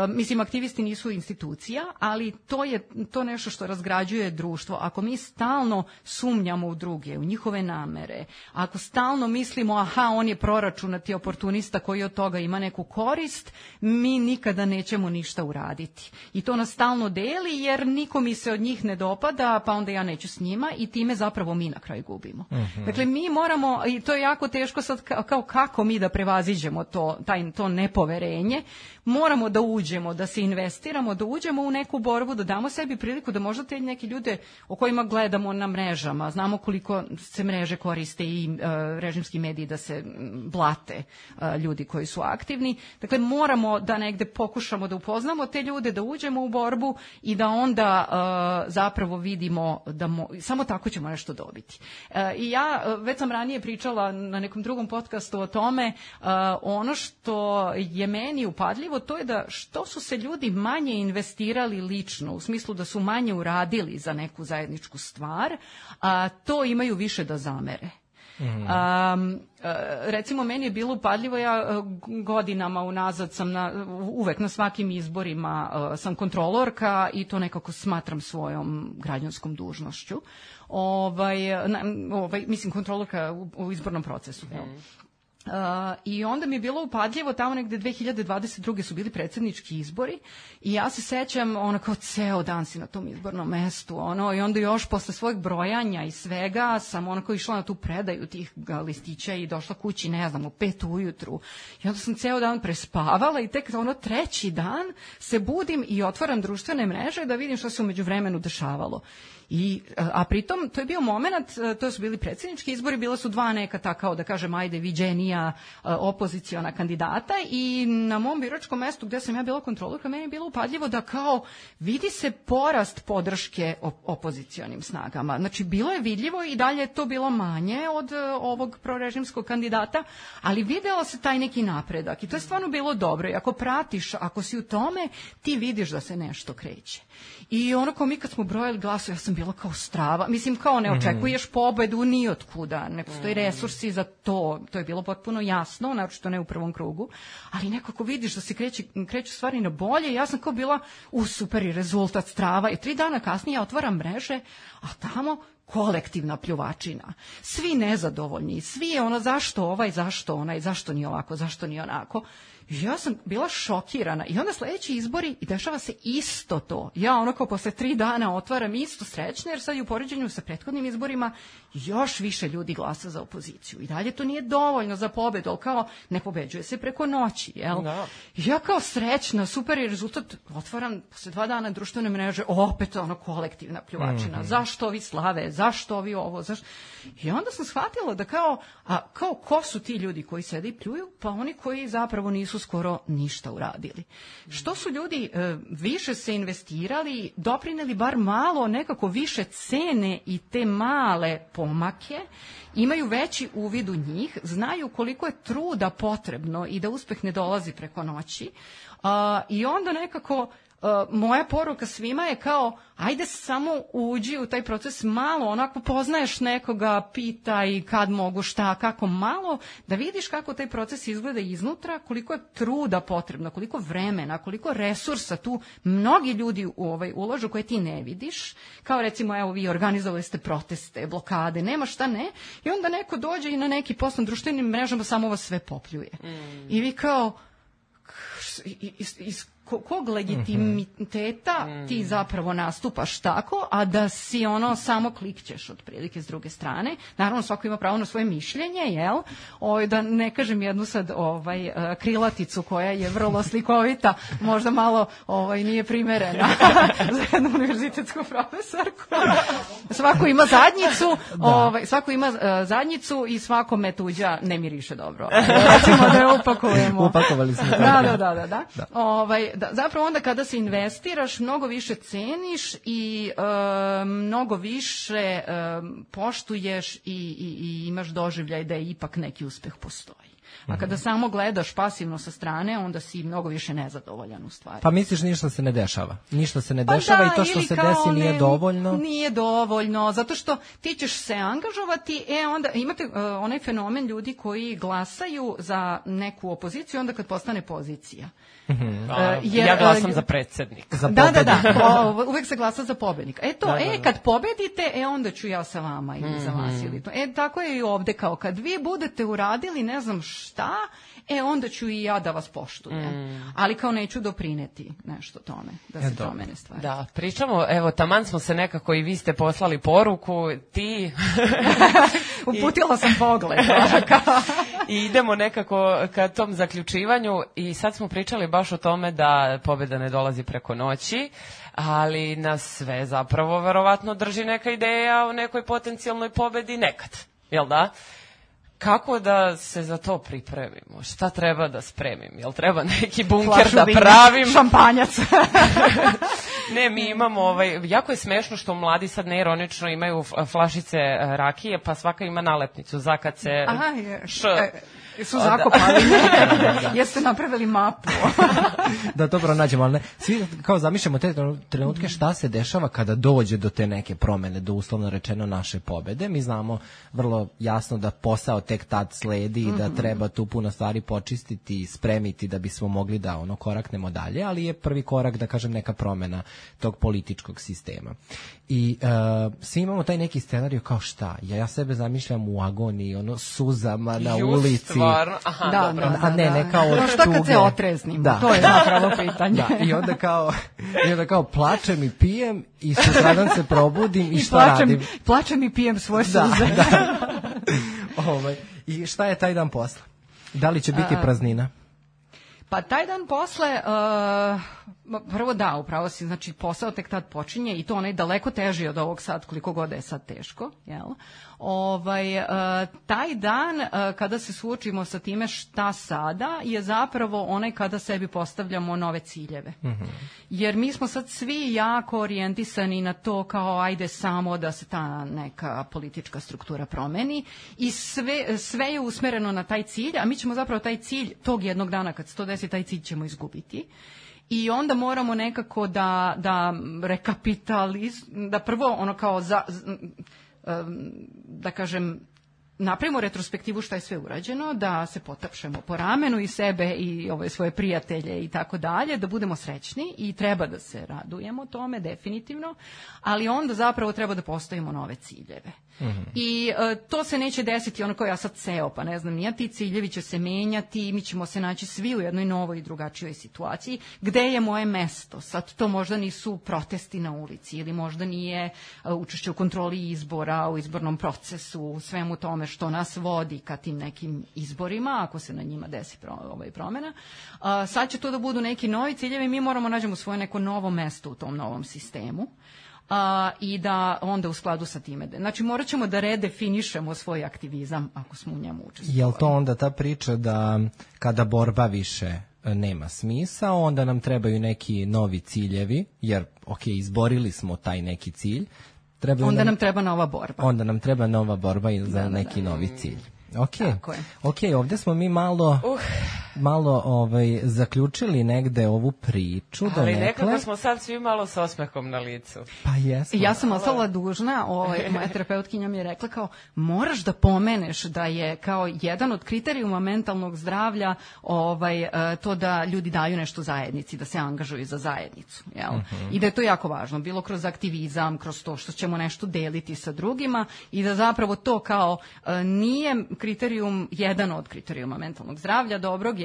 Mislim, aktivisti nisu institucija, ali to je to nešto što razgrađuje društvo. Ako mi stalno sumnjamo u druge, u njihove namere, ako stalno mislimo, aha, on je proračunati oportunista koji od toga ima neku korist, mi nikada nećemo ništa uraditi. I to nas stalno deli, jer niko mi se od njih ne dopada, pa onda ja neću s njima i time zapravo mi na kraju gubimo. Dakle, mi moramo, i to je jako teško sad, kao kako mi da prevaziđemo to nepoverenje, moramo da uđemo, da se investiramo, da uđemo u neku borbu, da damo sebi priliku da možda te neki ljude o kojima gledamo na mrežama, znamo koliko se mreže koriste i režimski mediji da se blate ljudi koji su aktivni. Dakle, moramo da negde pokušamo da upoznamo te ljude, da uđemo u borbu i da onda zapravo vidimo da samo tako ćemo nešto dobiti. I ja već sam ranije pričala na nekom drugom podcastu o tome, ono što je meni upadljivo, to je da što su se ljudi manje investirali lično, u smislu da su manje uradili za neku zajedničku stvar, to imaju više da zamere. Recimo, meni je bilo upadljivo, ja godinama unazad sam uvek na svakim izborima sam kontrolorka i to nekako smatram svojom građanskom dužnošću. Mislim, kontrolorka u izbornom procesu. I onda mi je bilo upadljivo, tamo negde 2022. su bili predsjednički izbori i ja se sećam, kao ceo dan si na tom izbornom mestu, i onda još posle svojeg brojanja i svega sam išla na tu predaju tih listića i došla kući, ne znam, u 5 ujutru. I onda sam ceo dan prespavala i tek treći dan se budim i otvaram društvene mreže da vidim što se u međuvremenu dešavalo. A pritom, to je bio moment, to su bili predsjednički izbori, bila su dva neka takao, da kažem, ajde, viđenija opoziciona kandidata i na mom biračkom mestu gde sam ja bila kontrolorka, meni je bilo upadljivo da kao vidi se porast podrške opozicionim snagama. Znači, bilo je vidljivo i dalje je to bilo manje od ovog prorežimskog kandidata, ali videla se taj neki napredak i to je stvarno bilo dobro. I ako pratiš, ako si u tome, ti vidiš da se nešto kreće. I kao mi kad smo brojali glasove, ja sam bila kao strava. Mislim, kao ne očekuješ pobedu ni od kuda. Ne postoji resursi za to. To je bilo potpuno jasno, naročito ne u prvom krugu. Ali nekako vidiš da se kreću stvari na bolje. Ja sam kao bila super i rezultat, strava. I 3 dana kasnije ja otvaram mreže, a tamo kolektivna pljuvačina. Svi nezadovoljni, svi ono zašto ovaj, zašto onaj, zašto nije ovako, zašto nije onako. Ja sam bila šokirana i onda sledeći izbori i dešava se isto to. Ja ono kao posle 3 dana otvaram isto srećne, jer sad i u poređenju sa prethodnim izborima još više ljudi glasa za opoziciju. I dalje to nije dovoljno za pobedu, ali kao ne pobeđuje se preko noći, jel? Da. Ja kao srećna, super je rezultat, otvaram posle 2 dana društvene mreže, opet ono kolektivna pljuvačina. Zašto ovi slave, zašto ovi ovo, zašto... I onda sam shvatila da kao ko su ti ljudi koji sede i pljuju? Pa oni koji zapravo nisu skoro ništa uradili. Što su ljudi više se investirali, doprineli bar malo, nekako više cene i te male pomake, imaju veći uvid u njih, znaju koliko je truda potrebno i da uspeh ne dolazi preko noći. I onda nekako moja poruka svima je kao, ajde samo uđi u taj proces malo, onako poznaješ nekoga, pitaj kad mogu, šta, kako, malo, da vidiš kako taj proces izgleda iznutra, koliko je truda potrebno, koliko vremena, koliko resursa tu mnogi ljudi ulažu koje ti ne vidiš, kao recimo, evo vi organizovali ste proteste, blokade, nema šta ne, i onda neko dođe i na neki post na društvenim mrežama samo vas sve popljuje. I vi kao, kog legitimiteta ti zapravo nastupaš tako, a da si ono samo klikćeš otprilike s druge strane. Naravno, svako ima pravo na svoje mišljenje, jel? Da ne kažem jednu sad krilaticu koja je vrlo slikovita, možda malo nije primerena za jednu univerzitetsku profesorku. Svako ima zadnjicu, svako ima zadnjicu i svakome tuđa ne miriše dobro. Recimo da je upakujemo. Upakovali smo. Da, zapravo onda kada se investiraš, mnogo više ceniš i mnogo više poštuješ i imaš doživljaj da je ipak neki uspeh postoji. A kada samo gledaš pasivno sa strane, onda si mnogo više nezadovoljan u stvari. Pa misliš ništa se ne dešava? Ništa se ne dešava i to što se desi nije dovoljno? Nije dovoljno, zato što ti ćeš se angažovati, onda imate onaj fenomen ljudi koji glasaju za neku opoziciju onda kad postane pozicija. Ja glasam za predsjednik. Da, uvek se glasa za pobednika. Kad pobedite, onda ću ja sa vama ili za vas ili to. Tako je i ovde, kao kad vi budete uradili ne znam šta, onda ću i ja da vas poštujem. Ali kao neću doprineti nešto tome, da se promene stvari. Da, pričamo, evo, taman smo se nekako i vi ste poslali poruku, ti... Uputila sam pogled. I idemo nekako ka tom zaključivanju i sad smo pričali baš o tome da pobjeda ne dolazi preko noći, ali nas sve zapravo verovatno drži neka ideja o nekoj potencijalnoj pobjedi nekad, jel da? Kako da se za to pripremimo? Šta treba da spremim? Jel treba neki bunker da pravim? Šampanjac. Ne, mi imamo, jako je smešno što mladi sad neironično imaju flašice rakije, pa svaka ima nalepnicu za kad se... Su zakopali. Jeste napravili mapu. Da to pronađemo, ali ne. Svi kao zamišljamo te trenutke šta se dešava kada dođe do te neke promene, do uslovno rečeno naše pobede. Mi znamo vrlo jasno da posao tek tad sledi i da treba tu puno stvari počistiti i spremiti da bismo mogli da koraknemo dalje, ali je prvi korak, da kažem, neka promena tog političkog sistema. I svi imamo taj neki scenarij kao šta? Ja sebe zamišljam u agoniji, suzama na ulici. Da, a ne kao od šta kad se otreznimo? To je zapravo pitanje. I onda kao plačem i pijem i sutradan se probudim i šta radim? Plačem i pijem svoje suze. I šta je taj dan posle? Da li će biti praznina? Pa taj dan posle, prvo da, upravo si, znači posao tek tad počinje i to onaj daleko teži od ovog sad, koliko god je sad teško, jel? Taj dan kada se suočimo sa time šta sada je zapravo onaj kada sebi postavljamo nove ciljeve. Jer mi smo sad svi jako orijentisani na to kao ajde samo da se ta neka politička struktura promeni i sve je usmereno na taj cilj, a mi ćemo zapravo taj cilj tog jednog dana kad se to desi, taj cilj ćemo izgubiti. I onda moramo nekako da da prvo ono kao da kažem napravimo retrospektivu šta je sve urađeno, da se potapšemo po ramenu i sebe i svoje prijatelje i tako dalje, da budemo srećni i treba da se radujemo tome, definitivno, ali onda zapravo treba da postavimo nove ciljeve. I to se neće desiti ono kao ja sad seo, pa ne znam, nija ti ciljevi će se menjati i mi ćemo se naći svi u jednoj novoj i drugačijoj situaciji. Gde je moje mesto? Sad to možda nisu protesti na ulici ili možda nije učešće u kontroli izbora, u izbornom procesu, u svemu tome što nas vodi ka tim nekim izborima, ako se na njima desi promena. Sad će to da budu neki novi ciljevi, mi moramo nađemo svoje neko novo mesto u tom novom sistemu. I da onda u skladu sa time. Znači, morat ćemo da redefinišemo svoj aktivizam ako smo u njemu učestvovali. Je li to onda ta priča da kada borba više nema smisa, onda nam trebaju neki novi ciljevi, jer, izborili smo taj neki cilj. Onda nam treba nova borba. Onda nam treba nova borba i za neki novi cilj. Ok, ovdje smo mi malo zaključili negde ovu priču. Ali nekako smo sad svi malo s osmehom na licu. Pa jesmo. Ja sam ostala dužna, moja terapeutkinja mi je rekla kao, moraš da pomeneš da je kao jedan od kriterijuma mentalnog zdravlja to da ljudi daju nešto zajednici, da se angažuju za zajednicu. Jel? I da je to jako važno, bilo kroz aktivizam, kroz to što ćemo nešto deliti sa drugima i da zapravo to kao nije kriterijum, jedan od kriterijuma mentalnog zdravlja, dobrog,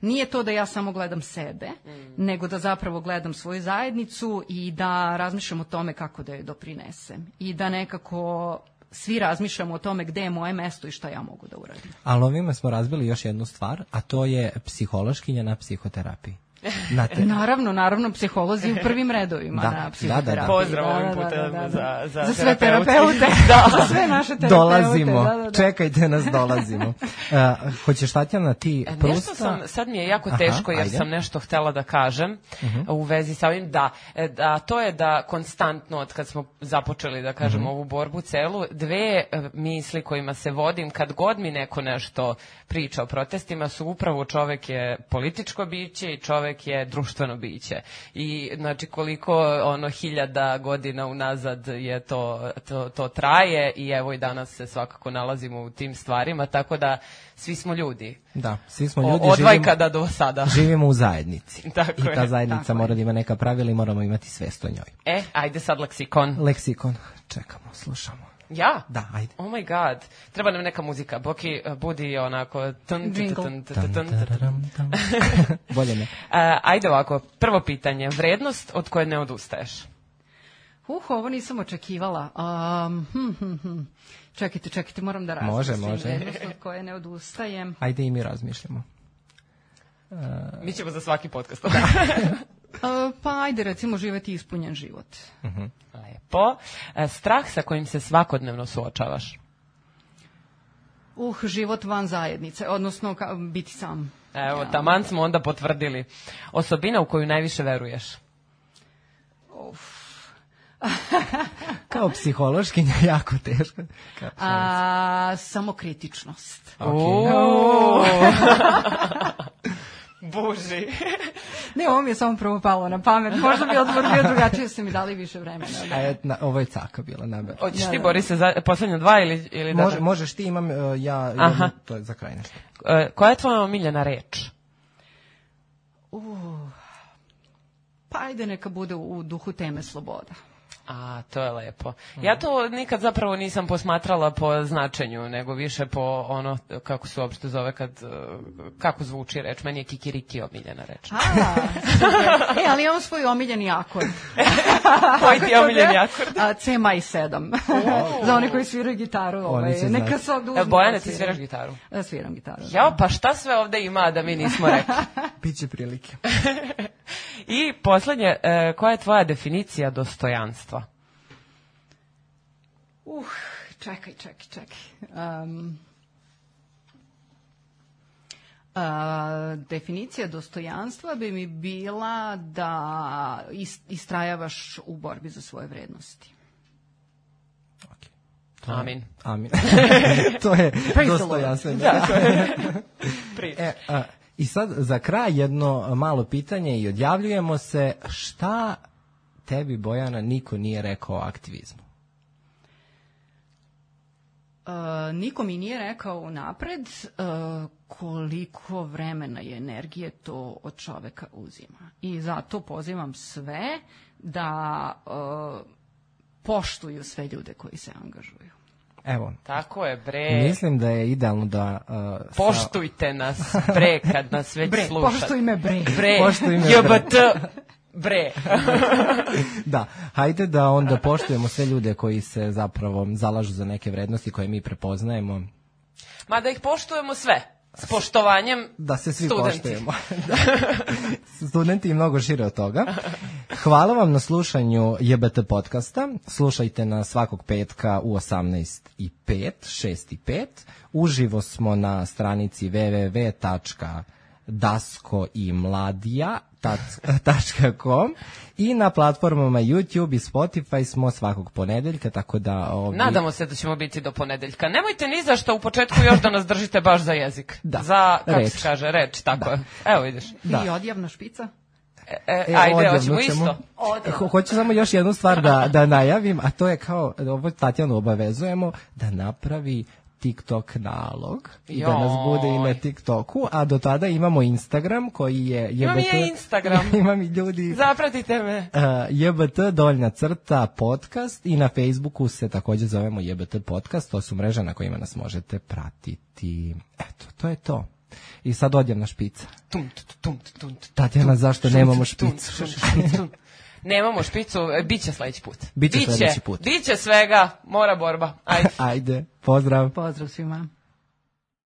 nije to da ja samo gledam sebe, nego da zapravo gledam svoju zajednicu i da razmišljam o tome kako da joj doprinesem. I da nekako svi razmišljamo o tome gde je moje mesto i šta ja mogu da uradim. Ali ovime smo razbili još jednu stvar, a to je psihološkinja na psihoterapiji. Naravno, psiholozi u prvim redovima na psihoterapiji. Pozdrav ovim putem za sve terapeute. Za sve naše terapeute. Dolazimo, čekajte nas, dolazimo. Hoćeš, Tatjana, ti Prusta? Sad mi je jako teško jer sam nešto htela da kažem u vezi sa ovim, da to je da konstantno, od kad smo započeli da kažem ovu borbu celu, dve misli kojima se vodim kad god mi neko nešto priča o protestima su upravo čovek je političko biće i čovek je društveno biće. I znači koliko 1000 godina unazad je to traje i evo i danas se svakako nalazimo u tim stvarima, tako da svi smo ljudi. Da, svi smo ljudi. Od vajkada do sada. Živimo u zajednici. Tako I ta zajednica mora da ima neka pravila i moramo imati svest o njoj. Ajde sad leksikon. Leksikon. Čekamo, slušamo. Ja? Da, ajde. Oh my god. Treba nam neka muzika. Boki, budi onako... Bolje ne. Ajde ovako, prvo pitanje. Vrednost od koje ne odustaješ? Ovo nisam očekivala. Čekajte, moram da razmislim. Može. Vrednost od koje ne odustajem. Ajde i mi razmišljamo. Mi ćemo za svaki podcast. Pa ajde, recimo, živeti ispunjen život. Lepo. Strah sa kojim se svakodnevno suočavaš? Život van zajednice, odnosno biti sam. Evo, taman smo onda potvrdili. Osobina u koju najviše veruješ? Kao psihološkinja jako teško. Samokritičnost. Buži. Ne, ovo mi je samo prvo palo na pamet. Možda bi odgovor bio drugačije, su mi dali više vremena. Ovo je caka bila, naber. Hoćeš ti, Boris, za poslednje dva ili da... Možeš ti, imam ja, to je za kraj nešto. Koja je tvoja omiljena reč? Pa ajde, neka bude u duhu teme sloboda. To je lepo. Ja to nikad zapravo nisam posmatrala po značenju, nego više po ono, kako se uopšte zove, kako zvuči reč. Meni je kikiriki omiljena reč. Ali imam svoj omiljeni akord. Koji ti je omiljeni akord? C maj 7. Za one koji sviraju gitaru. Neka sad uzme. Bojane, ti sviraš gitaru? Sviram gitaru. Jao, pa šta sve ovde ima da mi nismo rekli? Biće prilike. I poslednje, koja je tvoja definicija dostojanstva? Čekaj. Definicija dostojanstva bi mi bila da istrajavaš u borbi za svoje vrednosti. Amin. To je dostojanstvo. I sad za kraj jedno malo pitanje i odjavljujemo se. Šta tebi, Bojana, niko nije rekao o aktivizmu? Niko mi nije rekao unapred koliko vremena i energije to od čoveka uzima. I zato pozivam sve da poštuju sve ljude koji se angažuju. Evo. Tako je, bre. Mislim da je idealno da... Poštujte nas, bre, kad nas već bre, slušate. Poštuj me, bre. Bre, Poštuj me, JBT, bre. Da, hajde da onda poštujemo sve ljude koji se zapravo zalažu za neke vrednosti koje mi prepoznajemo. Ma da ih poštujemo sve. S poštovanjem da se svi studenti. Poštujemo. Studenti i mnogo šire od toga. Hvala vam na slušanju JBT podcasta. Slušajte na svakog petka u 18:05, 6:05. Uživo smo na stranici www.daskoimladija.com i na platformama YouTube i Spotify smo svakog ponedeljka, tako da... Nadamo se da ćemo biti do ponedeljka. Nemojte ni za što u početku još da nas držite baš za jezik. Da. Za, kako reč. se kaže, reč, tako Da. je. Evo vidiš. Da. I odjavna špica? Ajde, hoćemo isto. Hoću samo još jednu stvar da najavim, a to je kao, ovo Tatjanu obavezujemo, da napravi TikTok nalog i da nas bude i na TikToku, a do tada imamo Instagram koji je Imam i ja Instagram. Imam i ljudi. Zapratite me. JBT_podcast i na Facebooku se također zovemo JBT podcast, to su mreže na kojima nas možete pratiti. Eto, to je to. I sad odjavna špica. Tatjana, zašto nemamo špicu? Nemamo špicu, bit će sledeći put. Biće sledeći put. Biće svega, mora borba. Ajde. Ajde, pozdrav. Pozdrav svima.